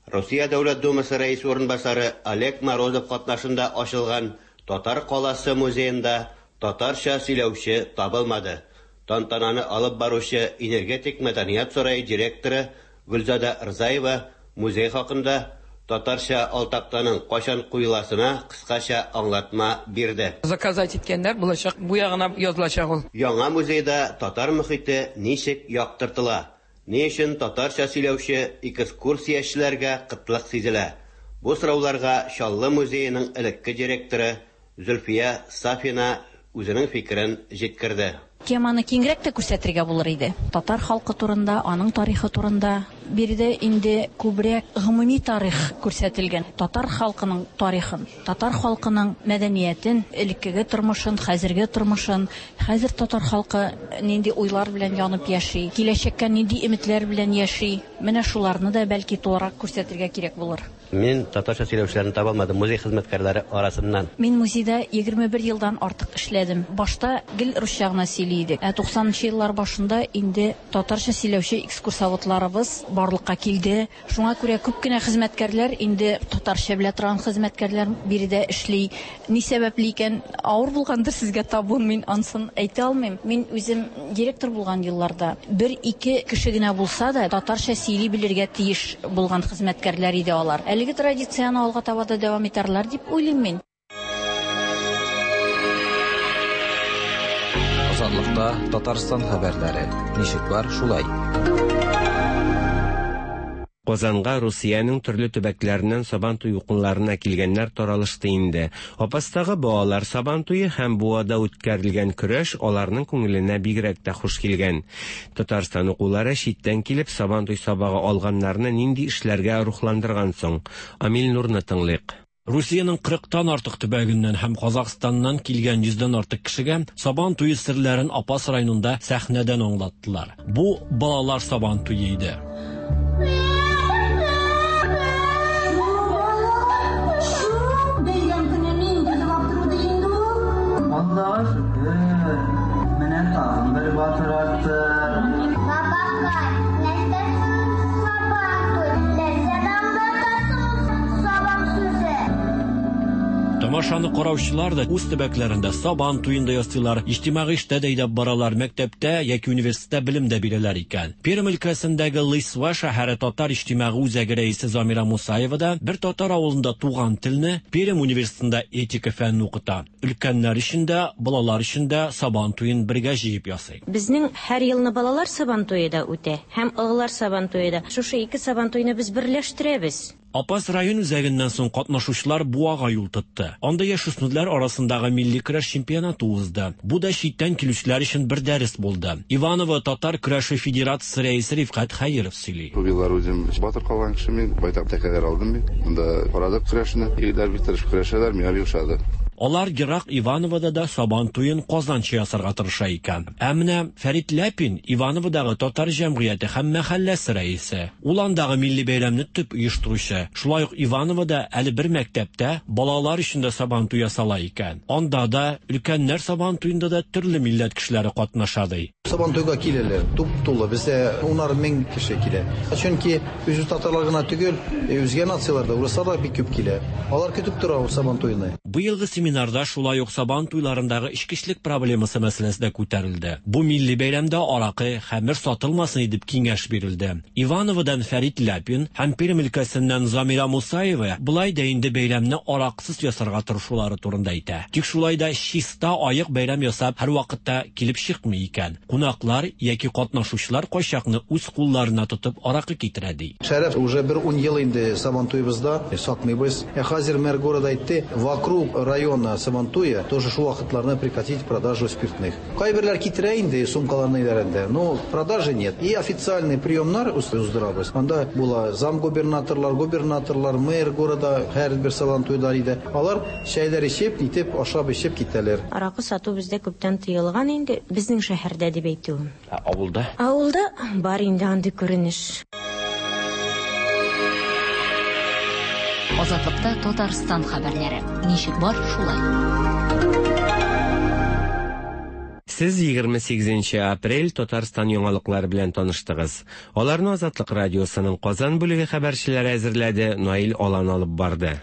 Россия Дәүләт Думасы рәисе урынбасары Олег Морозов катнашында ачылган Татар каласы музеенда татарча сөйләүче табылмады. Тантананы алып баручы Энергетик мәдәният сарае директоры Гөлзада Рзаева музей хакында татарча алтактаның кайчан куеласына кыскача аңлатма бирде. Заказать иткәннәр булачак, бу ягына язылачак ул. Яңа музейда татар мөхите ничек яктыртыла? Ни өчен татарча сөйләүче экскурсиячеләргә кытлык сизелә? Бу сорауларга Чаллы музееның элекке директоры Зөлфия Сафина үзенең фикерен җиткерде. Теманы киңрәк тә күрсәтергә булыр иде. Татар халкы турында, аның тарихы турында. Биредә инде күбрәк гомуми тарих күрсәтелгән. Татар халкының тарихын, татар халкының мәдәниятен, элеккеге тормышын, хәзерге тормышын, хәзер татар халкы нинди уйлар белән янып яши, киләчәккә нинди өметләр белән яши. Менә шуларны да бәлки тулырак күрсәтергә кирәк булыр. Мин татарча сөйләүчеләрне таба алмадым музей хезмәткәрләре арасыннан. Мин музейда егерме бер елдан артык эшләдем. Башта гел русча гына сөйли идек. Ә туксанынчы еллар башында инде татарча сөйләүче экскурсоводларыбыз барлыкка килде. Шуңа күрә күп кенә хезмәткәрләр инде татарча белә торган хезмәткәрләр биредә эшли. Ни сәбәпле икән, авыр булгандыр сезгә табуын, мин ансын әйтә алмыйм. Мин үзем директор булган елларда бер-ике кеше генә булса да татарча сөйли белергә тиеш булган хезмәткәрләр иде алар. Әлеге традицияны алга таба да дәвам итәрләр дип уйлыйм мин. Азатлыкта Татарстан хәбәрләре. Ничек бар, шулай. Казанга Русиянең төрле төбәкләреннән Сабантуй укынларына килгәннәр таралышты инде. Апастагы балалар Сабантуе һәм Буада үткәрелгән көрәш аларның күңеленә бигрәк тә хуш килгән. Татарстан укулары читтән килеп Сабантуй сабагы алганнарны нинди эшләргә рухландырган соң? Амил Нурны тыңлыйк. Русиянең кырыктан артык төбәгеннән һәм Казахстаннан килгән йөздән артык кешегә Сабан туе серләрен Апас районында сәхнәдән аңлаттылар. Бу балалар Сабан туе иде. Аллаһка шөкер, менә тагын бер батыр артты. Бабакай, нәрсә Сабан туй? Нәрсәдән аңлатасың Сабан сүзе? Тамашаны караучылар да үз төбәкләрендә Сабан туен да ясыйлар, иҗтимагый эштә дә әйдәп баралар, мәктәптә яки университетта белем дә бирәләр икән. Пермь өлкәсендәге Лысьва шәһәре татар иҗтимагый үзәге рәисе Замира Мусаева да бер татар авылында туган телне Пермь университетында этика фәнен укыта. Өлкәннәр өчен дә, балалар өчен дә Сабан туен бергә җыеп ясый. Безнең һәр елны балалар Сабан туе да үтә, һәм олылар Сабан туе да. Шушы ике Сабан туйны без берләштерәбез. Апас район үзәгеннән соң катнашучылар Буага юл тотты. Анда яшүсмерләр арасындагы милли көрәш чемпионаты узды. Бу да читтән килүчеләр өчен бер дәрес булды. Иваново татар көрәше федерациясе рәисе Рифкать Хәйров сөйли. Бу еллар үзем батыр калган кеше мин, байтак тәкәләр алдым мин. Монда карадык көрәшне. Егетләр бик тырышып көрәшәләр, миңа бик ошады. Алар ерак Ивановода да Сабан туен Казанча ясарга тырыша икән. Ә менә Фәрит Ляпин Ивановодагы татар җәмгыяте һәм мәхәлләсе рәисе. Ул андагы милли бәйрәмне төп оештыручы. Шулай ук Ивановода әле бер мәктәптә балалар өчен дә Сабан туе ясала икән. Анда да өлкәннәр Сабан туенда да төрле милләт кешеләре катнаша ди. Сабан туйга киләләр, туп-тулы, бездә унар мең кеше килә. Чөнки үзе татарлар гына түгел, үзгә нациялар да, урыслар да бик күп килә. Алар көтеп тора ул Сабан туйны. Быелгы семинарда шулай ук Сабан туйларындагы эчкечелек проблемасы мәсьәләсе дә күтәрелде. Бу милли бәйрәмдә аракы, хәмер сатылмасын дип киңәш бирелде. Ивановодан Фәрит Ляпин һәм Пермь өлкәсеннән Замира Мусаева былай да инде бәйрәмне араксыз ясарга тырышулары турында әйтә. Тик шулай да чиста аек бәйрәм ясап һәр вакытта килеп чыкмый икән. Кунаклар яки катнашучылар кайчакны үз кулларына тотып аракы китерә ди. Шәрәф уже бер ун ел инде Сабан туебызда сатмыйбыз. Ә хәзер мэр города әйтте, вокруг района Сабантуя тоже шул вакытларны прекратить продажу спиртных. Кайберләр китерә инде сумкаларны иләрендә, но продажи нет. И официальный приемнар уздырабыз. Анда була замгубернаторлар, губернаторлар, мэр города һәр бер Сабан туйлар иде. Алар чәйләр эчеп, итеп, ашап эчеп китәләр. Аракы сату бездә күптән тыелган инде, безнең шәһәрдә дип әйтүем. Ә авылда? Авылда бар инде андый күренеш. Азатлыкта Татарстан хәбәрләре. Ничек бар, шулай. Сез егерме сигезенче апрель Татарстан яңалыклары белән таныштыгыз. Аларны Азатлык радиосының Казан бүлеге хәбәрчеләре әзерләде, Наил Алан алып барды.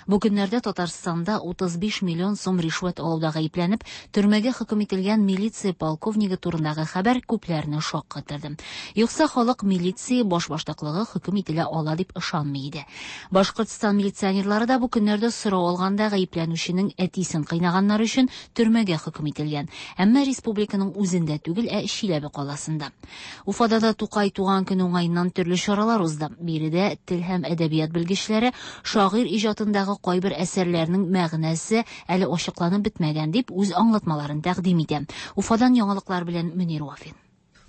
Бу көннәрдә Татарстанда утыз биш миллион сум ришвәт алуда гаепләнеп, төрмәгә хөкем ителгән милиция полковнигы турындагы хәбәр күпләрне шаккатырды. Юкса халык милиция башбаштаклыгы хөкем ителә ала дип ышанмый иде. Башкортстан милиционерлары да бу көннәрдә сорау алганда гаепләнүченең әтисен кыйнаганнар өчен төрмәгә хөкем ителгән. Әмма республиканың үзендә түгел, ә Чиләбе каласында. Уфада да Тукай туган көне уңаеннан төрле чаралар узды. Биредә тел һәм әдәбият белгечләре шагыйрь иҗатындагы кайбер әсәрләрнең мәгънәсе әле ачыкланып бетмәгән дип үз аңлатмаларын тәкъдим итә. Уфадан яңалыклар белән Мөнир Вафин.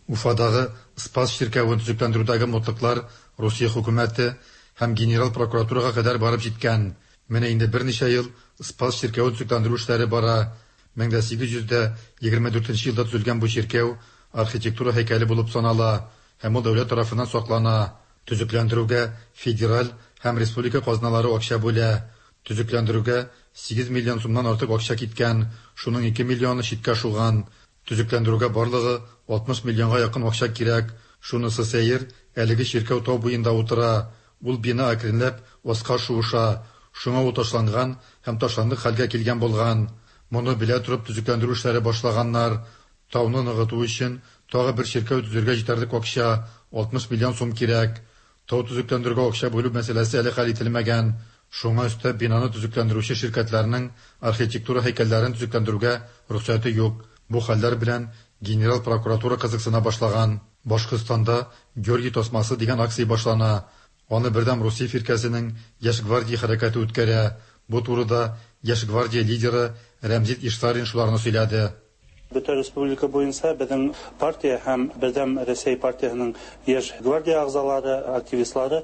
Уфадагы Спас чиркәвен төзекләндерүдәге мутлыклар Русия хөкүмәте һәм генерал прокуратурага кадәр барып җиткән. Менә инде берничә ел Спас чиркәвен төзекләндерү эшләре бара. мең дә сигез йөз дә егерме дүртенче елда төзелгән бу чиркәү архитектура һәйкәле булып санала һәм ул дәүләт тарафыннан саклана. Төзекләндерүгә федераль һәм республика казналары акча бүлә. Төзекләндерүгә сигез миллион сумнан артык акча киткән, шуның ике миллионы читкә шуган. Төзекләндерүгә барлыгы алтмыш миллионга якын акча кирәк. Шунысы сәер, әлеге чиркәү тау буенда утыра. Ул бина әкренләп аска шуыша. Шуңа ул ташланган һәм ташландык хәлгә килгән булган. Моны белә торып төзекләндерү эшләре башлаганнар. Тауны ныгыту өчен тагы бер чиркәү төзергә җитәрлек акча алтмыш миллион сум кирәк. Тау төзекләндерүгә акча бүлү мәсьәләсе әле хәл ителмәгән. Шуңа өстәп бинаны төзекләндерүче ширкәтләрнең архитектура һәйкәлләрен төзекләндерүгә рөхсәте юк. Бу хәлләр белән генерал прокуратура кызыксына башлаган. Башкортстанда Георгий тасмасы дигән акция башлана. Аны Бердәм Русия фиркәсенең Яшь гвардия хәрәкәте үткәрә. Бу турыда Яшь гвардия лидеры Рәмзит Ишсарин шуларны сөйләде. Бөтә республика буенча безнең партия һәм Бердәм Рәсәй партиясенең яшь гвардия әгъзалары, активистлары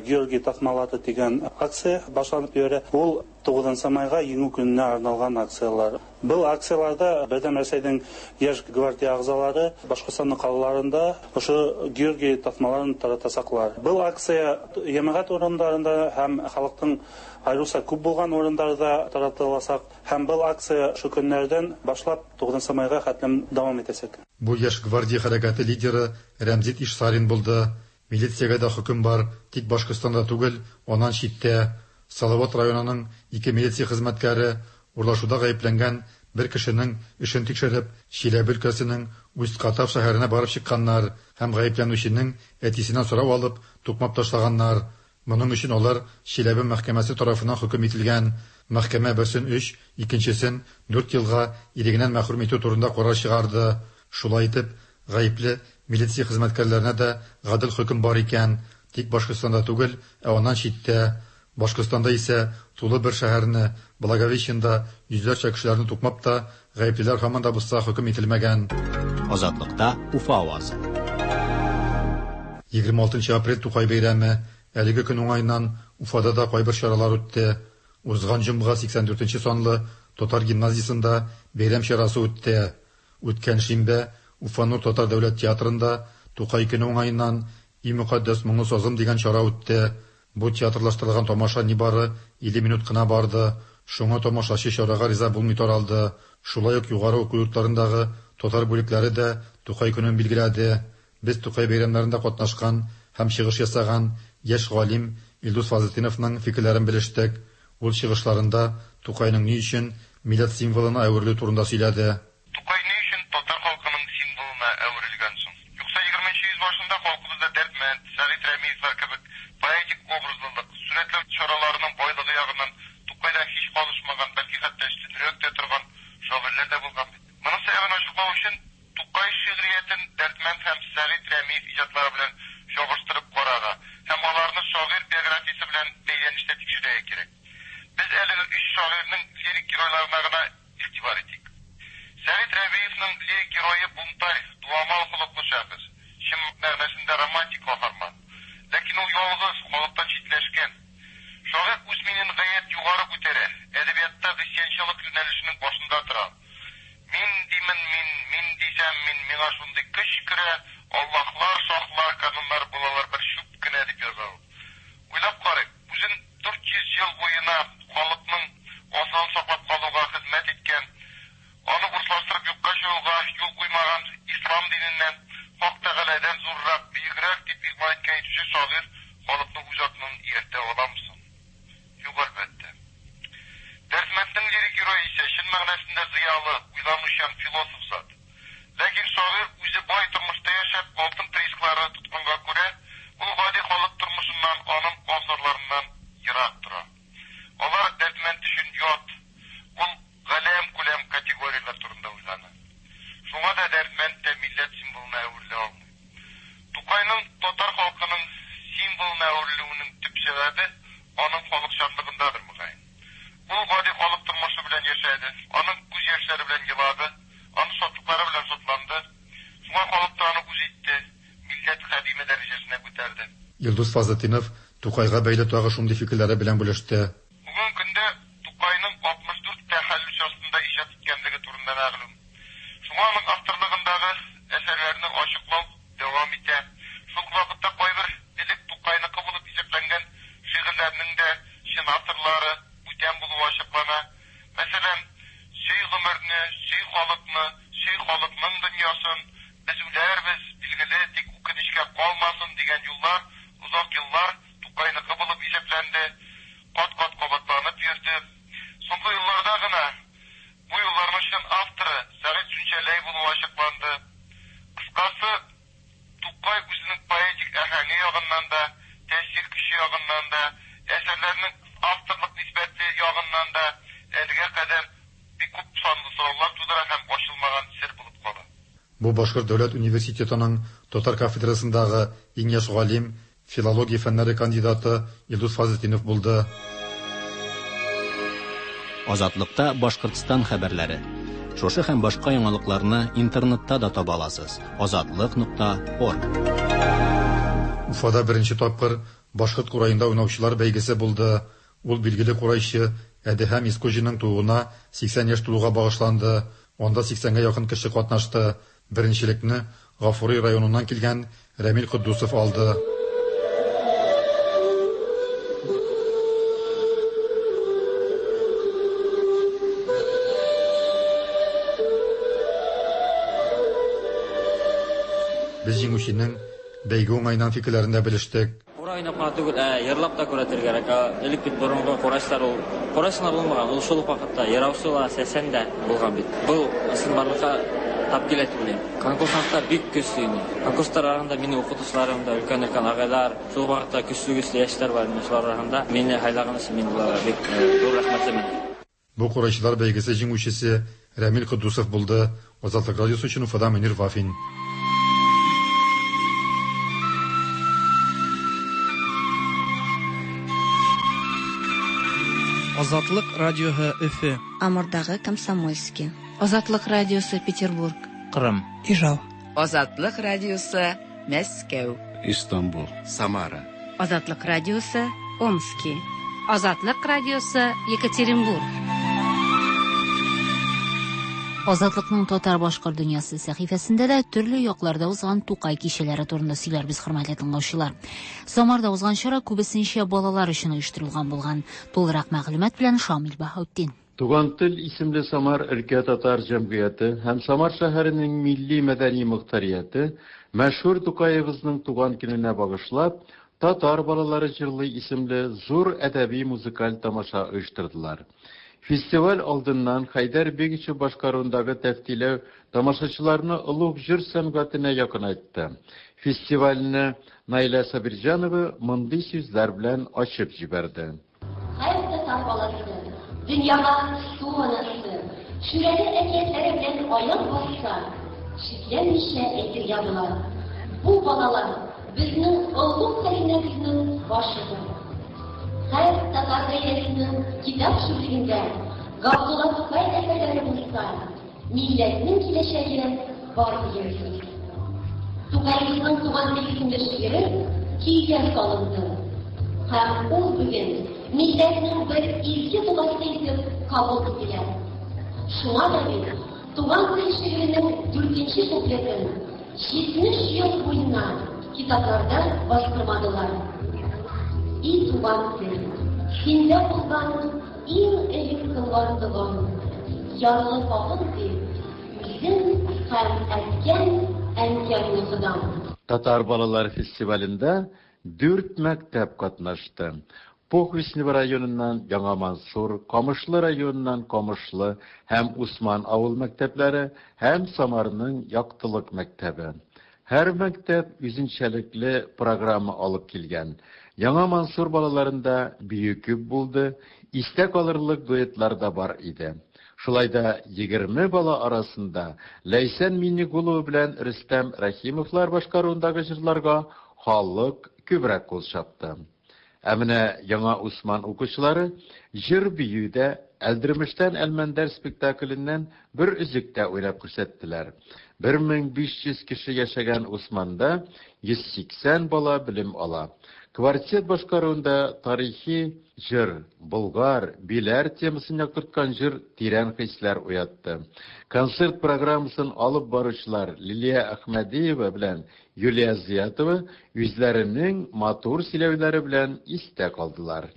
Георгий тасмалары дигән акция башланып йөри. Ул тугызынчы майга Җиңү көненә арналган акцияләр. Был акцияләрдә Бердәм Рәсәйнең яшь гвардия әгъзалары Башкортстанның калаларында ошо Георгий тасмаларын таратасаклар. Был акция җәмәгать урыннарында һәм халыктың айрыуса күп булган урыннарда таратылачак һәм был акция шу көннәрдән башлап тугызынчы майга хәтлем дәвам итәчәк. Бу яшь гвардия хәрәкәте лидеры Рәмзит Ишсарин булды. Милициягә дә хөкем бар, тик Башкортстанда түгел, аннан читтә. Салават районының ике милиция хезмәткәре урлашуда гаепләнгән бер кешенең эшен тикшереп, Чиләбе өлкәсенең Усть-Катав шәһәренә барып чыкканнар һәм гаепләнүченең әтисеннән сорау алып, тукмап ташлаганнар. Моның өчен алар Чиләбе мәхкәмәсе тарафыннан хөкем ителгән. Мәхкәмә берсен өч, икенчесен дүрт елга ирегеннән мәхрүм итү турында карар чыгарды. Шулай итеп, гаепле милиция хезмәткәрләренә дә гадел хөкем бар икән, тик Башкортстанда түгел, ә аннан читтә. Башкортстанда исә тулы бер шәһәрне, Благовещенда йөзләрчә кешеләрне тукмап та, гаеплеләр һаман да булса хөкем ителмәгән. Азатлыкта Уфа авазы. Егерме алтынчы апрель Тукай бәйрәме. Әлеге көн уңаеннан Уфада да кайбер чаралар үтте. Узган җомга сиксән дүртенче санлы татар гимназиясендә бәйрәм чарасы үтте. Үткән шимбә Уфа Нур татар дәүләт театрында Тукай көне уңаеннан "И мөкаддәс моңлы сазым" дигән чара үтте. Бу театрлаштырылган тамаша нибары илле минут кына барды. Шуңа тамашачы чарага риза булмый таралды. Шулай ук югары уку йортларындагы татар бүлекләре дә Тукай көнен билгеләде. Без Тукай бәйрәмнәрендә катнашкан һәм чыгыш ясаган яшь галим Илдус Фазлетдиновның фикерләрен белештек. Ул чыгышларында Тукайның ни өчен милләт символына әверелү турында сөйләде. Тукай ни өчен татар халкының символына әверелгән соң? Юкса егерменче йөз башында халкыбызда Дәрдмәнд, Сәгыйть Рәмиевләр кебек поэтик образлылык, сурәтләү чараларының байлыгы ягыннан Тукайдан һич калышмаган, бәлки хәтта өстенрәк тә торган шагыйрьләр дә булган бит. Моның сәбәбен ачыклау өчен Тукай шигъриятен Дәрдмәнд һәм Сәгыйть Рәмиев иҗатлары белән чагыштырып карарга һәм аларны шагыйрь биографиясе белән бәйләнештә тикшерергә кирәк. Без әлеге өч шагыйрьнең лирик геройларына гына игътибар итик. Сәгыйть Рәмиевның лирик герое бунтарь, дуамал холыклы шәхес, чын мәгънәсендә романтик каһарман. Ләкин ул ялгыз, халыктан читләшкән. Шагыйрь үз минен гаять югары күтәрә, әдәбиятта гыйсьянчылык юнәлешенең башында тора. Мин димен мин, мин дисәм мин, миңа шундый көч керә, Аллаһлар, шаһлар, кануннар булалар бер чүп кенә дип яза ул. Уйлап карыйк, үзен дүрт йөз ел буена халыкның асылын саклап калуга хезмәт иткән, аны урыслаштырып юкка чыгуга юл куймаган ислам диненнән, Хак Тәгаләдән зуррак, бөегрәк дип игълан иткән итүче шагыйрь халыкны үз артыннан ияртә аламы соң? Юк, әлбәттә. Дәрдмәнднең лирик герое исә чын мәгънәсендә зыялы, уйланучан философ зат. Ләкин шагыйрь үзе бай тормышта яшәп, алтын приисклары тотканга күрә, ул гади халык тормышыннан, аның абзарларыннан ерак тора. Алар Дәрдмәнд өчен ят, ул галәм күләм категорияләр турында уйлана. Шуңа да Дәрдмәнд тә милләт символына әверелә алмый. Тукайның татар халкының символына әверелүенең төп сәбәбе аның халыкчанлыгындадыр мөгаен. Ул гади халык тормышы белән яшәде, аның күз яшьләре белән елады, аның шатлыклары белән шатланды. Шуңа халык та аны үз итте, милләт хадиме дәрәҗәсенә күтәрде. Илдус Фазлетдинов Тукайга бәйле тагы шундый фикерләре белән бүлеште. Бүгенге көндә Тукайның алтмыш дүрт тәхәллүс астында иҗат иткәнлеге турында мәгълүм. Шуңа аның авторлыгындагы әсәрләрне ачыклау дәвам итә. Шул вакытта кайбер элек Тукайныкы булып исәпләнгән шигырьләрнең дә чын авторлары бүтән булуы ачыклана. Мәсәлән, сөй гомерне, сөй халыкны, сөй халыкның дөньясын, без үләрбез, билгеле, тик үкенечкә калмасын дигән юллар озак еллар Тукайныкы булып исәпләнде, кат-кат кабатланып йөрде. Соңгы елларда гына бу юлларның чын авторы Сәгыйть Сүнчәләй булуы ачыкланды. Кыскасы, Тукай үзенең поэтик әһәңе ягыннан да, тәэсир көче ягыннан да, әсәрләренең авторлык нисбәте ягыннан да әлегә кадәр бик күп санлы сораулар тудыра һәм ачылмаган сер булып кала. Бу Башкорт дәүләт университетының татар кафедрасындагы иң яшь галим, филология фәннәре кандидаты Илдус Фазлетдинов булды. Азатлыкта Башкортстан хәбәрләре. Шушы һәм башка яңалыкларны интернетта да таба аласыз. Азатлык нокта орг. Уфада беренче тапкыр башкорт кураенда уйнаучылар бәйгесе булды. Ул билгеле курайчы Әдеһәм Искуҗинның тууына сиксән яшь тулуга багышланды. Анда сиксәнгә якын кеше катнашты. Беренчелекне Гафури районыннан килгән Рәмил Котдусов алды. Без җиңүченең бәйге уңаеннан фикерләрен дә белештек. Курай уйнап кына түгел, ә йырлап та күрәтергә кирәк. Элек бит борынгы курайчылар ул курайчы гына булмаган, ул шул ук вакытта йыраучы ла, сәсән дә булган бит. Был чынбарлыкка тап килә дип уйлыйм. Конкурсантлар бик көчле инде. Конкурслар арасында минем укытучыларым да, өлкән-өлкән агайлар, шул ук вакытта көчле-көчле яшьләр бар. Менә шулар арасында мине һайлаган өчен мин уларга бик зур рәхмәтлемен. Бу курайчылар бәйгесе җиңүчесе Рәмил Котдусов булды. Азатлык радиосы өчен Уфадан Мөнир Вафин. Азатлык радиоһы Өфө. Амурдагы Комсомольский. Азатлык радиосы Петербург. Кырым. Ижау. Азатлык радиосы Мәскәү. Истанбул. Самара. Азатлык радиосы Омски. Азатлык радиосы Екатеринбург. Азатлыкның татар башкорт дөньясы сәхифәсендә дә төрле якларда узган Тукай кичәләре турында сөйләрбез, хөрмәтле тыңлаучылар. Самарда узган чара күбесенчә балалар өчен оештырылган булган. Тулырак мәгълүмат белән Шамил Баһаутдин. Туган тел исемле Самар өлкә татар җәмгыяте һәм Самар шәһәренең милли мәдәни мохтарияте мәшһүр Тукаебызның туган көненә багышлап Татар балалары җырлый исемле зур әдәби музыкаль тамаша оештырдылар. Фестиваль алдыннан Хәйдәр Бегичев башкаруындагы тәфтиләү тамашачыларны олуг җыр сәнгатенә якынайтты. Фестивальне Наилә Сабирҗанова мондый сүзләр белән ачып җибәрде. Һәр татар баласы дөньяга су анасы, шүрәле әкиятләре белән аяк басса, шикләнмичә әйтергә була. Бу балалар безнең олуг хәзинәбезнең башыдыр. Һәр татар гаиләсенең китап шүрлегендә Габдулла Тукай әсәрләре булса, милләтнең киләчәге бар дигән сүз. Тукаебызның туган тел исемле шигыре көйгә салынды. Һәм ул бүген милләтнең бер изге догасы итеп кабул ителә. Шуңа да бит туган тел шигыренең дүртенче куплетын җитмеш ел буена китапларда бастырмадылар. И туган тел, синдә булган иң элек кылган догам, ярлы хакын дип, үзем һәм әткәм, әнкәмне Ходам. Татар балалар фестивалендә дүрт мәктәп катнашты. Похвистнево районыннан Яңа Мансур, Камышлы районыннан Камышлы һәм Усман авыл мәктәпләре һәм Самарның Яктылык мәктәбе. Һәр мәктәп үзенчәлекле программа алып килгән. Яңа Мансур балаларында бию күп булды, истә калырлык дуэтлар да бар иде. Шулай да егерме бала арасында Ләйсән Миннегулова белән Рөстәм Рәхимовлар башкаруындагы җырларга халык күбрәк кул чапты. Ә менә Яңа Усман укучылары җыр биюдә Әлдермештән Әлмәндәр спектакленнән бер өзек тә уйнап күрсәттеләр. бер мең биш йөз кеше яшәгән Усманда йөз сиксән бала белем ала. Квартет башкаруында тарихи җыр, Болгар, Биләр темасын яктырткан җыр тирән хисләр уятты. Концерт программасын алып баручылар Лилия Әхмәдиева белән Юлия Зиятова үзләренең матур сөйләүләре белән истә калдылар.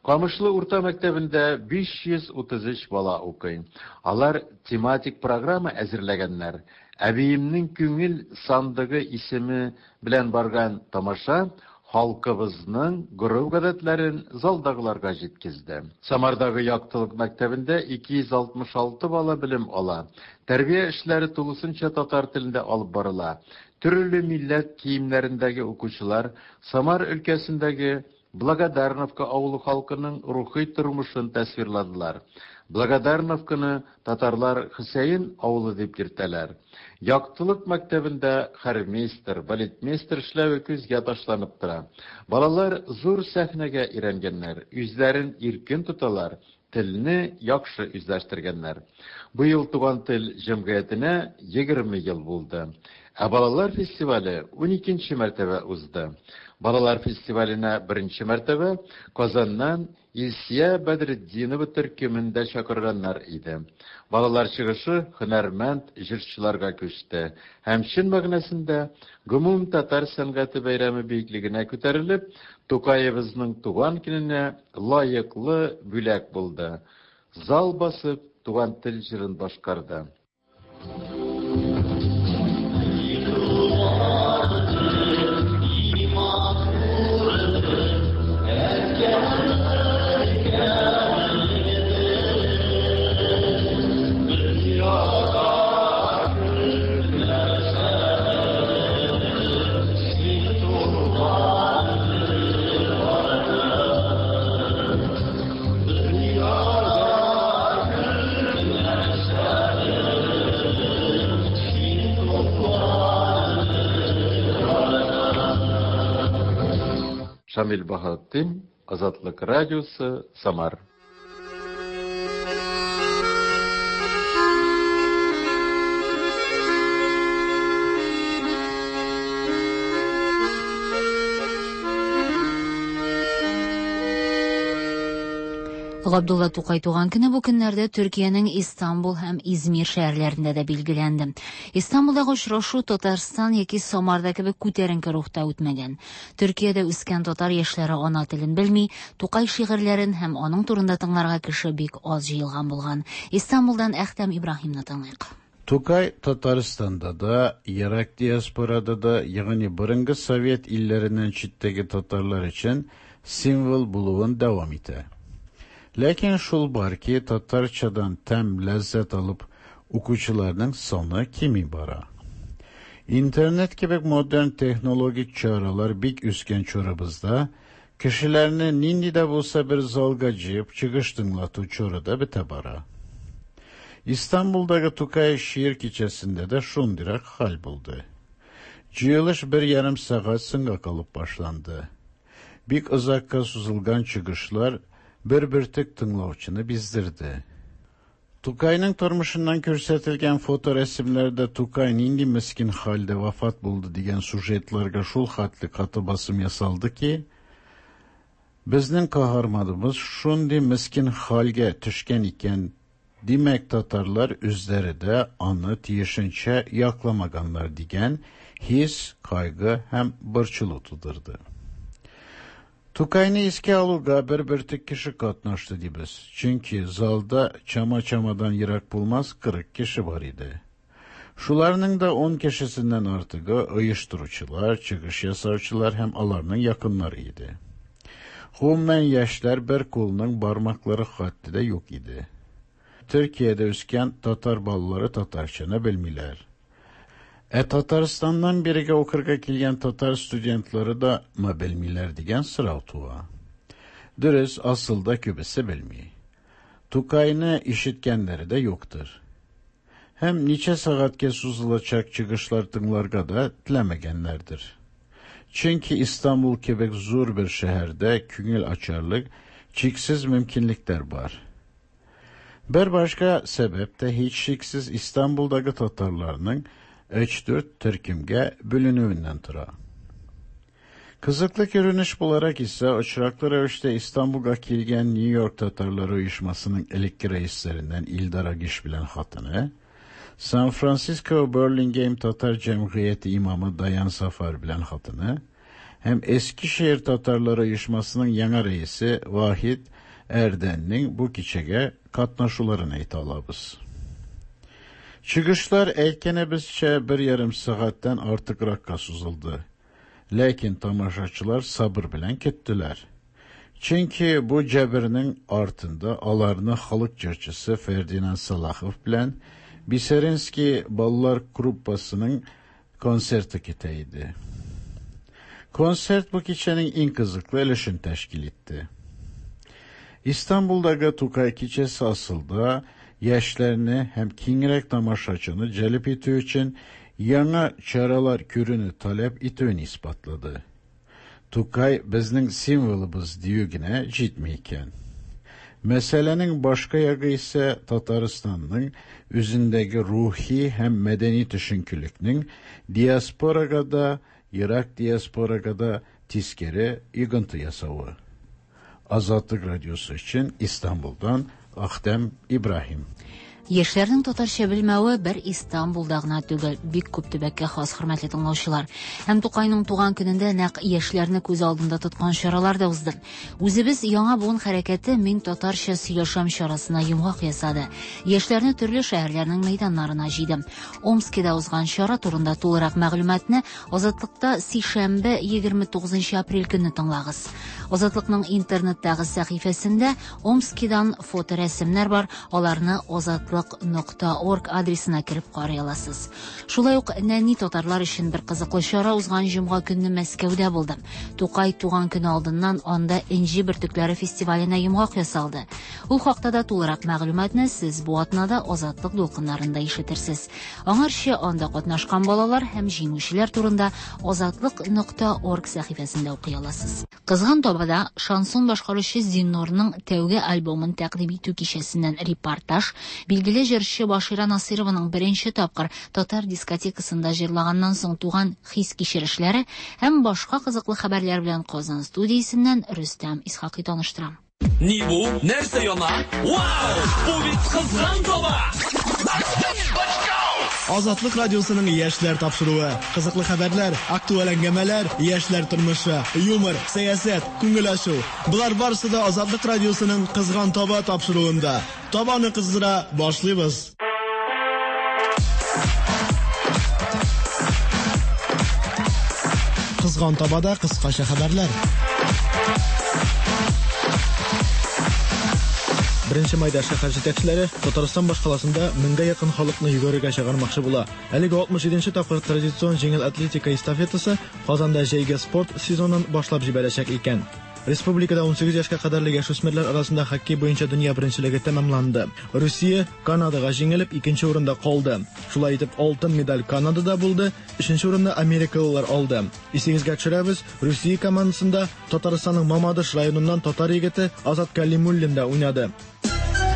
Камышлы урта мәктәбендә биш йөз утыз өч бала укый. Алар тематик программа әзерләгәннәр. Әбиемнең күңел сандыгы исеме белән барган тамаша халкыбызның гореф-гадәтләрен залдагыларга җиткезде. Самардагы Яктылык мәктәбендә ике йөз алтмыш алты бала белем ала. Тәрбия эшләре тулысынча татар телендә алып барыла. Төрле милләт киемнәрендәге укучылар Самар өлкәсендәге Благодарновка авылы халкының рухи тормышын тасвирладылар. Благодарновканы татарлар Хөсәен авылы дип йөртәләр. Яктылык мәктәбендә хормейстер, балетмейстер эшләве күзгә ташланып тора. Балалар зур сәхнәгә өйрәнгәннәр, үзләрен иркен тоталар, телне яхшы үзләштергәннәр. Быел Туган тел җәмгыятенә егерме ел булды. Ә балалар фестивале уникенче мәртәбә узды. Балалар фестиваленә беренче мәртәбә Казаннан Илсия Бәдретдинова төркемендә чакырганнар иде. Балалар чыгышы һөнәрмәнд җырчыларга күчте һәм чын мәгънәсендә гомум татар сәнгате бәйрәме биеклегенә күтәрелеп, Тукаебызның туган көненә лаеклы бүләк булды. Зал басып Туган тел җырын башкарды. Шамил Баһаутдин, Азатлык радиосы, Самар. Габдулла Тукай туган көне бу көннәрдә Төркиянең Истанбул һәм Измир шәһәрләрендә дә билгеләнде. Истанбулдагы очрашу Татарстан яки Самарда кебек күтәренке рухта үтмәгән. Төркиядә үскән татар яшьләре ана телен белми, Тукай шигырьләрен һәм аның турында тыңларга кеше бик аз җыелган булган. Истанбулдан Әхтәм Ибраһимны тыңлыйк. Тукай Татарстанда да, ерак диаспорада да, ягъни борынгы Совет илләреннән читтәге татарлар өчен символ булуын дәвам итә. Ләкин шул бар ки, татарчадан тәм ләззәт алып укучыларның саны кими бара. Интернет кебек модерн технологик чаралар бик үскән чорыбызда, кешеләрне нинди дә булса бер залга җыеп чыгыш тыңлату чоры да бетә бара. Истанбулдагы Тукай шигырь кичәсендә дә шундыйрак хәл булды. Җыелыш бер ярым сәгать соңга калып башланды. Бик озакка сузылган чыгышлар бер бөртек тыңлаучыны биздерде. Тукайның тормышыннан күрсәтелгән фоторәсемнәрдә Тукай нинди мескин хәлдә вафат булды дигән сюжетларга шул хәтле каты басым ясалды ки, безнең каһарманыбыз шундый мескин хәлгә төшкән икән, димәк татарлар үзләре дә аны тиешенчә якламаганнар дигән хис, кайгы һәм борчылу тудырды. Тукайны искә алуга бер бөртек кеше катнашты дибез. Чөнки залда чама-чамадан ерак булмас кырык кеше бар иде. Шуларның да ун кешесеннән артыгы оештыручылар, чыгыш ясаучылар һәм аларның якыннары иде. Гомумән яшьләр бер кулның бармаклары хәтта дә юк иде. Төркиядә үскән татар балалары татарчаны белмиләр. Ә Татарстаннан бирегә укырга килгән татар студентлары да ма белмиләр дигән сорау туа. Дөрес, асылда күбесе белми. Тукайны ишеткәннәре дә юктыр. Һәм ничә сәгатькә сузылачак чыгышлар тыңларга да теләмәгәннәрдер. Чөнки Истанбул кебек зур бер шәһәрдә күңел ачарлык чиксез мөмкинлекләр бар. Бер башка сәбәп тә һичшиксез Истанбулдагы татарларның өч-дүрт төркемгә бүленүеннән тора. Кызыклы күренеш буларак исә очраклы рәвештә Истанбулга килгән Нью-Йорк татарлары оешмасының элекке рәисләреннән Илдар Агиш белән хатыны, Сан-Франциско Берлингейм татар җәмгыяте имамы Даян Сафар белән хатыны һәм Эскишehir татарлары оешмасының яңа рәисе Вахид Эрденнең бу кичәгә катнашуларын әйтә алабыз. Чыгышлар әйткәнебезчә бер ярым сәгатьтән артыгракка сузылды. Ләкин тамашачылар сабыр белән көттеләр. Чөнки бу җәбернең артында аларны халык җырчысы Фердинанд Салахов белән Бисеринский балалар группасының концерты көтә иде. Концерт бу кичәнең иң кызыклы өлешен тәшкил итте. Истанбулдагы Тукай кичәсе асылда яшьләрне һәм киңрәк тамашачыны җәлеп итү өчен яңа чаралар күрүне таләп итүен исбатлады. Тукай безнең символыбыз дию генә җитми икән. Мәсьәләнең башка ягы исә Татарстанның үзендәге рухи һәм мәдәни төшенкелекнең диаспорага да, ерак диаспорага да тискәре йогынты ясавы. Азатлык радиосы өчен Истанбулдан Ахтем Ибраһим. Яшьләрнең татарча белмәве бер Истанбулда гына түгел, бик күп төбәккә хас, хөрмәтле тыңлаучылар. Һәм Тукайның туган көнендә нәкъ яшьләрне күз алдында тоткан чаралар да узды. Үзебез яңа буын хәрәкәте Мин татарча сөйләшәм чарасына йомгак ясады. Яшьләрне төрле шәһәрләрнең мәйданнарына җыйды. Омскида узган чара турында тулырак мәгълүматны Азатлыкта сишәмбе егерме тугызынчы апрель көнне тыңлагыз. Азатлыкның интернеттагы сәхифәсендә Омскидан фоторәсемнәр бар, аларны азатлык нокта орг адресына кереп карый аласыз. Шулай ук нәни татарлар өчен бер кызыклы чара узган җомга көнне Мәскәүдә булды. Тукай туган көне алдыннан анда Энҗе бөртекләре фестиваленә йомгак ясалды. Ул хакта да тулырак мәгълүматны сез бу атнада Азатлык дулкыннарында ишетерсез. Аңарчы анда катнашкан балалар һәм җиңүчеләр турында азатлык нокта орг сәхифәсендә укый аласыз. Кызган табада шансон башкаручы Зиннурның тәүге альбомын тәкъдим итү кичәсеннән репортаж, билгеле җырчы Башира Насырованың беренче тапкыр татар дискотекасында җырлаганнан соң туган хис-кичерешләре һәм башка кызыклы хәбәрләр белән Казан студиясеннән Рөстәм Исхакый таныштыра. Ни бу? Нәрсә яна? Вау! Бу бит кызган таба! Азатлык радиосының яшьләр тапшыруы. Кызыклы хәбәрләр, актуаль әңгәмәләр, яшьләр тормышы, юмор, сәясәт, күңел ачу. Болар барысы да Азатлык радиосының Кызган таба тапшыруында. Табаны кыздыра башлыйбыз. Кызган табада кыскача хәбәрләр. Беренче майда шәһәр җитәкчеләре Татарстан башкаласында меңгә якын халыкны йөгерергә чыгармакчы була. Әлеге алтмыш җиденче тапкыр традицион җиңел атлетика эстафетасы Казанда җәйге спорт сезонын башлап җибәрәчәк икән. Республикада унсигез яшькә кадәрле яшүсмерләр арасында хоккей буенча дөнья беренчелеге тәмамланды. Русия Канадага җиңелеп икенче урында калды. Шулай итеп алтын медаль Канадада булды, өченче урынны америкалылар алды. Исегезгә төшерәбез, Русия командасында Татарстанның Мамадыш районыннан татар егете Азат Калимуллин да уйнады.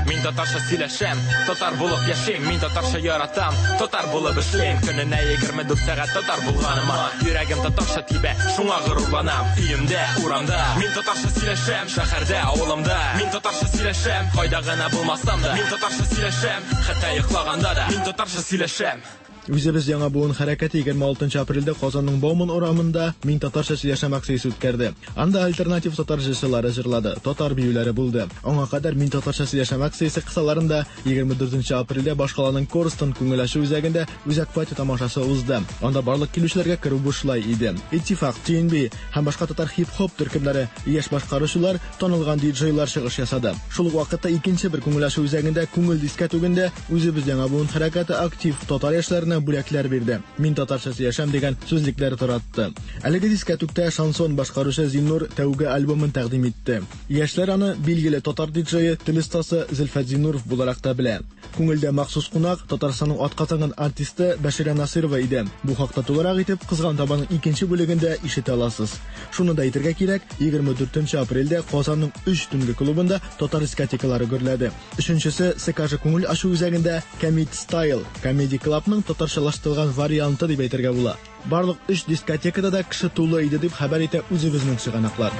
Мин татарча сөйләшәм, татар булып яшим, мин татарча яратам, татар булып эшлим. Көненә егерме дүрт сәгать татар булганыма, йөрәгем татарча тибә, шуңа горурланам. Өемдә, урамда, мин татарча сөйләшәм, шәһәрдә, авылымда, мин татарча сөйләшәм, кайда гына булмасам да, мин татарча сөйләшәм, хәтта йоклаганда да, мин татарча сөйләшәм. Үзебез яңа буын хәрәкәте егерме алтынчы апрельдә Казанның Бауман урамында Мин татарча сөйләшәм акциясе үткәрде. Анда альтернатив татар җырчылары җырлады, татар биюләре булды. Аңа кадәр Мин татарча сөйләшәм акциясе кысаларында егерме дүртенче апрельдә башкаланың Корстон күңел ачу үзәгендә үзәк пати тамашасы узды. Анда барлык килүчеләргә керү бушлай иде. Иттифак, Т Н Б һәм башка татар хип-хоп төркемнәре, яшь башкаручылар, танылган диджейлар чыгыш ясады. Шул ук вакытта икенче бер күңел ачу үзәгендә күңел дискәтүгендә үзебез яңа буын хәрәкәте актив татар яшьләренә бүләкләр бирде. Мин татарча сөйләшәм дигән сүзлекләр таратты. Әлеге дискәтүктә шансон башкаручы Зиннур тәүге альбомын тәкъдим итте. Яшьләр аны билгеле татар диджейы, тел остасы Зөлфәт Зиннуров буларак та белә. Күңелдә махсус кунак Татарстанның атказанган артисты Бәширә Насырова иде. Бу хакта тулырак итеп Кызган табаның икенче бүлегендә ишетә аласыз. Шуны да әйтергә кирәк, егерме дүртенче апрельдә Казанның өч төнге клубында татар дискотекалары гөрләде. Өченчесе С К Ж күңел ачу үзәгендә Комед Стайл, Comedy Clubның татарчалаштырылган варианты дип әйтергә була. Барлык өч дискотекада да кеше тулы иде дип хәбәр итә үзебезнең чыганаклар.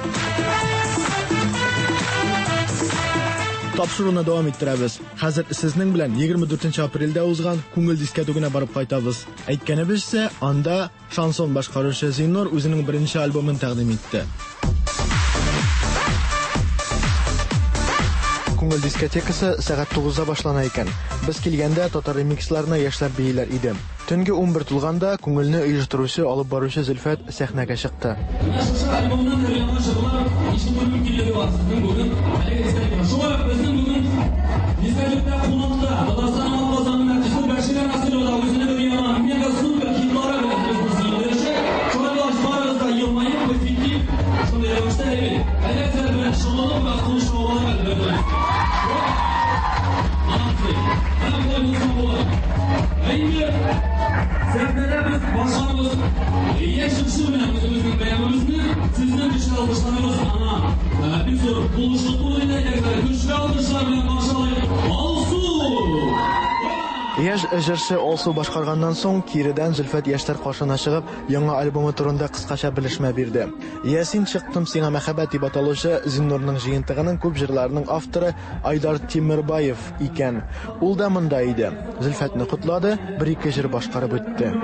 Тапшыруны дәвам иттерәбез. Хәзер сезнең белән егерме дүртенче апрельдә узган күңел дискәтүгенә барып кайтабыз. Әйткәнебезчә, анда шансон башкаручы Зиннур үзенең беренче альбомын тәкъдим итте. Күңел дискотекасы сәгать тугызда башлана икән. Без килгәндә татар ремиксларына яшьләр бииләр иде. Төнге унбер тулганда күңелне оештыручы, алып баручы Зөлфәт сәхнәгә чыкты. Менә шушы альбомнан өр-яңа җырлар ишетү мөмкинлеге бар сезнең бүген. Әлеге дискотекада. Шулай ук безнең бүген дискотекада кунакта Татарстанның атказанган артисты Бәширә Насырова да үзенең өр-яңа мега супер хитлары белән безне сөендерәчәк. Шулай булгач, барыгыз да елмаеп, позитив, шундый рәвештә әйбәт. Әләзләр белән шөгыльләнеп, бераз кул чабалар әлбәттә. Молодцы. Менә болай булса була. Ә инде сәхнәдә без башларыбыз яшь җырчы белән үзебезнең бәйрәмебезне сезнең көчле алкышларыгыз аңа Бик зур булышлык булыр иде, әйдәгез, көчле алкышлар белән каршы алыйк. Алсу! Яшь җырчы Алсу башкарганнан соң киредән Зөлфәт яшьләр каршына чыгып, яңа альбомы турында кыскача белешмә бирде. Ясин чыктым сиңа мәхәббәт дип аталучы Зиннурның җыентыгының күп җырларының авторы Айдар Тимербаев икән. Ул да монда иде. Зөлфәтне котлады, бер-ике җыр башкарып үтте.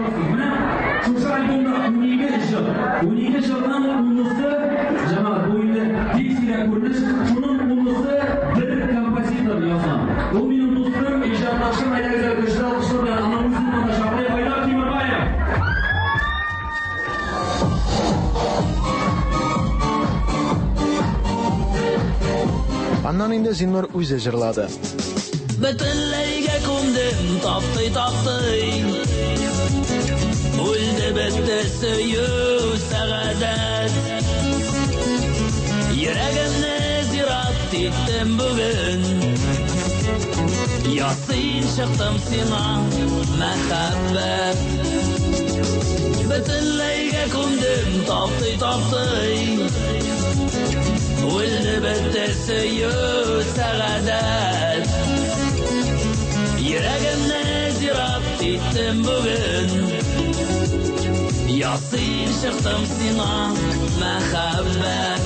Шушы альбомда унике җыр, унике җырның унысы, җәмәгать, бу инде бик сирәк күренеш, шуның унысы бер композитор язган. Ул минем дустым, иҗатташым, әйдәгез, көчле алкышлар белән аның үзен монда чакырыйк, Айдар Тимербаев. Аннан инде Зиннур үзе җырлады. Бөтенләйгә күмдем, таптый-таптый. Үлде бетте сөю сәгадәт. Йөрәгемне зират иттем бүген. Ясин чыктым сиңа мәхәббәт. Бөтенләйгә күмдем, таптый-таптый. Үлде бетте сөю сәгадәт. Йөрәгемне зират иттем бүген. Ясин чыктым сиңа мәхәббәт.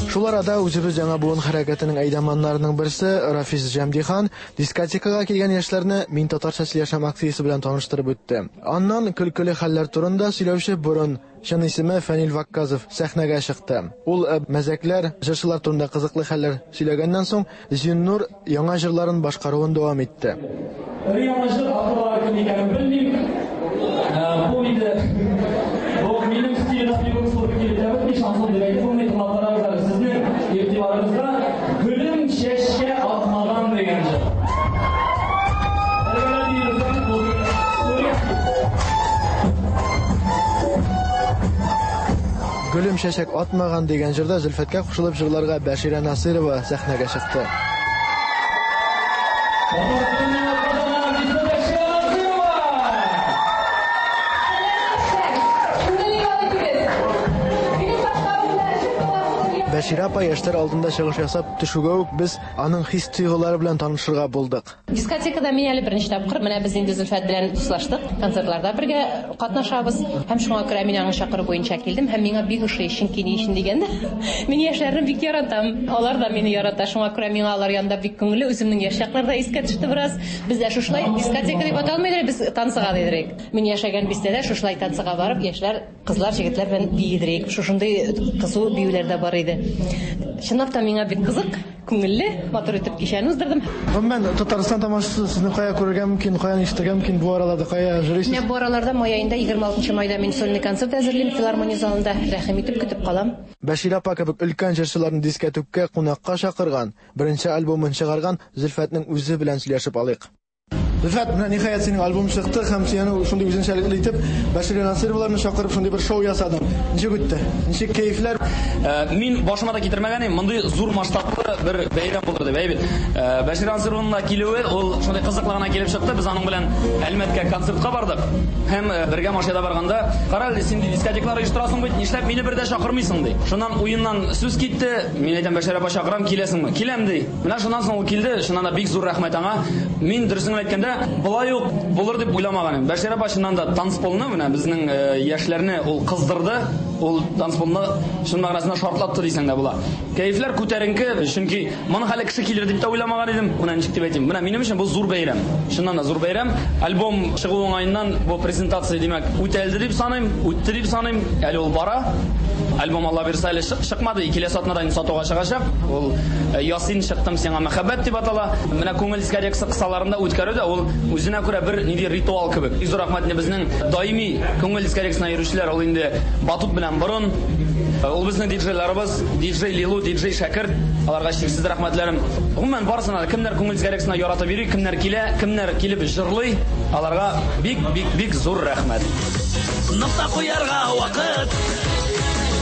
Шул арада үзебез яңа буын хәрәкәтенең әйдаманнарының берсе Рафис Җәмдихан дискотекага килгән яшьләрне Мин татарча сөйләшәм акциясе белән таныштырып үтте. Аннан көлкеле хәлләр турында сөйләүче борын, чын исеме Фәнил Вакказов, сәхнәгә чыкты. Ул мәзәкләр, җырчылар турында кызыклы хәлләр сөйләгәннән соң Зиннур яңа җырларын башкаруын дәвам итте. Бер яңа җыр авторлары кем икәнен белмим. Бу инде бу минем стильдә бик зур килеп бетми, шансон дип әйтеп булмый, тыңлап карагыз әле. Сезнең игътибарыгызга Гөлем чәчкә атмаган дигән җыр. Гөлем чәчәк атмаган дигән җырда Зөлфәткә кушылып җырларга Бәширә Насырова сәхнәгә чыкты. Бәширә апа яшьләр алдында чыгыш ясап төшүгә үк без аның хис-тойгылары белән танышырга булдык. Дискотекада мин әле беренче тапкыр, менә без инде Зөлфәт белән дуслаштык, концертларда бергә катнашабыз. Һәм шуңа күрә мин аның чакыру буенча килдем һәм миңа бик ошый, чөнки ни өчен дигәндә, мин яшьләрне бик яратам. Алар да мине ярата, шуңа күрә миңа алар янында бик күңелле, үземнең яшь чакларда искә төште бераз. Без дә шушылай дискотека дип аталмыйдыр, без танцыга дидерек. Мин яшәгән бистәдә шушылай танцыга барып, яшьләр, кызлар, егетләр белән биедерек. Шушындый кызу биюләр дә бар иде. Чынлап та миңа бик кызык, күңелле, матур итеп кичәне уздырдым. Гомумән, Татарстан тамашачысы сезне кая күрергә мөмкин, каян ишетергә мөмкин бу араларда, кая йөрисез? Менә бу араларда май аенда егерме алтынчы майда мин сольный концерт әзерлим филармония залында. Рәхим итеп көтеп калам. Бәширә апа кебек өлкән җырчыларны дискәтүккә кунакка чакырган, беренче альбомын чыгарган Зөлфәтнең үзе белән сөйләшеп алыйк. Зөлфәт, менә ниһаять синең альбом чыкты һәм сине шундый үзенчәлекле итеп Бәширә Насыровларны чакырып шундый бер шоу ясадың. Ничек үтте? Ничек кәефләр? Мин башыма да китермәгән идем, мондый зур масштаблы бер бәйрәм булыр дип, әйе бит. Бәширә Насырованың да килүе ул шундый кызыклы гына килеп чыкты. Без аның белән Әлмәткә концертка бардык. Һәм бергә машинада барганда, "Кара әле, син дискотекалар оештырасың бит, нишләп мине бер дә чакырмыйсың?" ди. Шуннан уеннан сүз китте. Мин әйтәм, "Бәширә апа, чакырам, киләсеңме?" "Киләм" ди. Менә шуннан соң ул килде. Шуннан да бик зур рәхмәт аңа. Мин дөресен әйткәндә, болай ук булыр дип уйламаган идем. Бәширә апа чыннан да танцполны, менә безнең яшьләрне ул кыздырды. Ул танцполны чын мәгънәсендә шартлатты дисәң дә була. Кәефләр күтәренке, чөнки моны хәле кеше килер дип тә уйламаган идем. Менә ничек дип әйтим? Менә минем өчен бу зур бәйрәм. Чыннан да зур бәйрәм. Альбом чыгу уңаеннан бу презентация димәк үтәлде дип саныйм, үтте дип саныйм. Әле ул бара. Альбом Алла бирсә әле чыкмады, киләсе атнада инде сатуга чыгачак. Ул Ясин чыктым сиңа мәхәббәт дип атала. Менә күңел дискотекасы кысаларында үткәрү дә ул үзенә күрә бер нинди ритуал кебек. Зур рәхмәт безнең даими күңел дискотекасына йөрүчеләр, ул инде батут белән борын. Ул безнең диджейларыбыз, диджей Лилу, диджей Шәкерт, аларга чиксез рәхмәтләрем. Гомумән барысына да, кемнәр күңел дискотекасына яратып йөри, кемнәр килә, кемнәр килеп җырлый, аларга бик бик бик зур рәхмәт. Нокта куярга вакыт,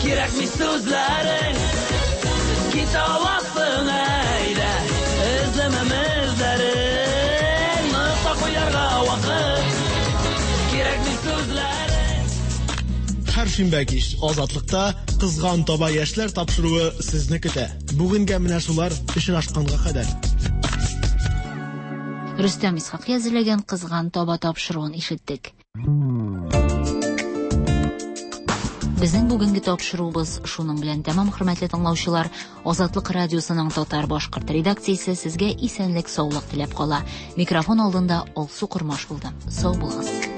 кирәкми сүзләрең, китә аласың әйдә, эзләмәм эзләрең. Нокта куярга вакыт, кирәкми сүзләрең. Һәр шимбә кич Азатлыкта Кызган таба яшьләр тапшыруы сезне көтә. Бүгенгә менә шулар, очрашканга кадәр. Рөстәм Исхакый әзерләгән Кызган таба тапшыруын ишеттек. Безнең бүгенге тапшыруыбыз шуның белән тәмам, хөрмәтле тыңлаучылар. Азатлык радиосының татар башкорт редакциясе сезгә исәнлек, саулык теләп кала. Микрофон алдында Алсу Кормаш булды. Сау булыгыз.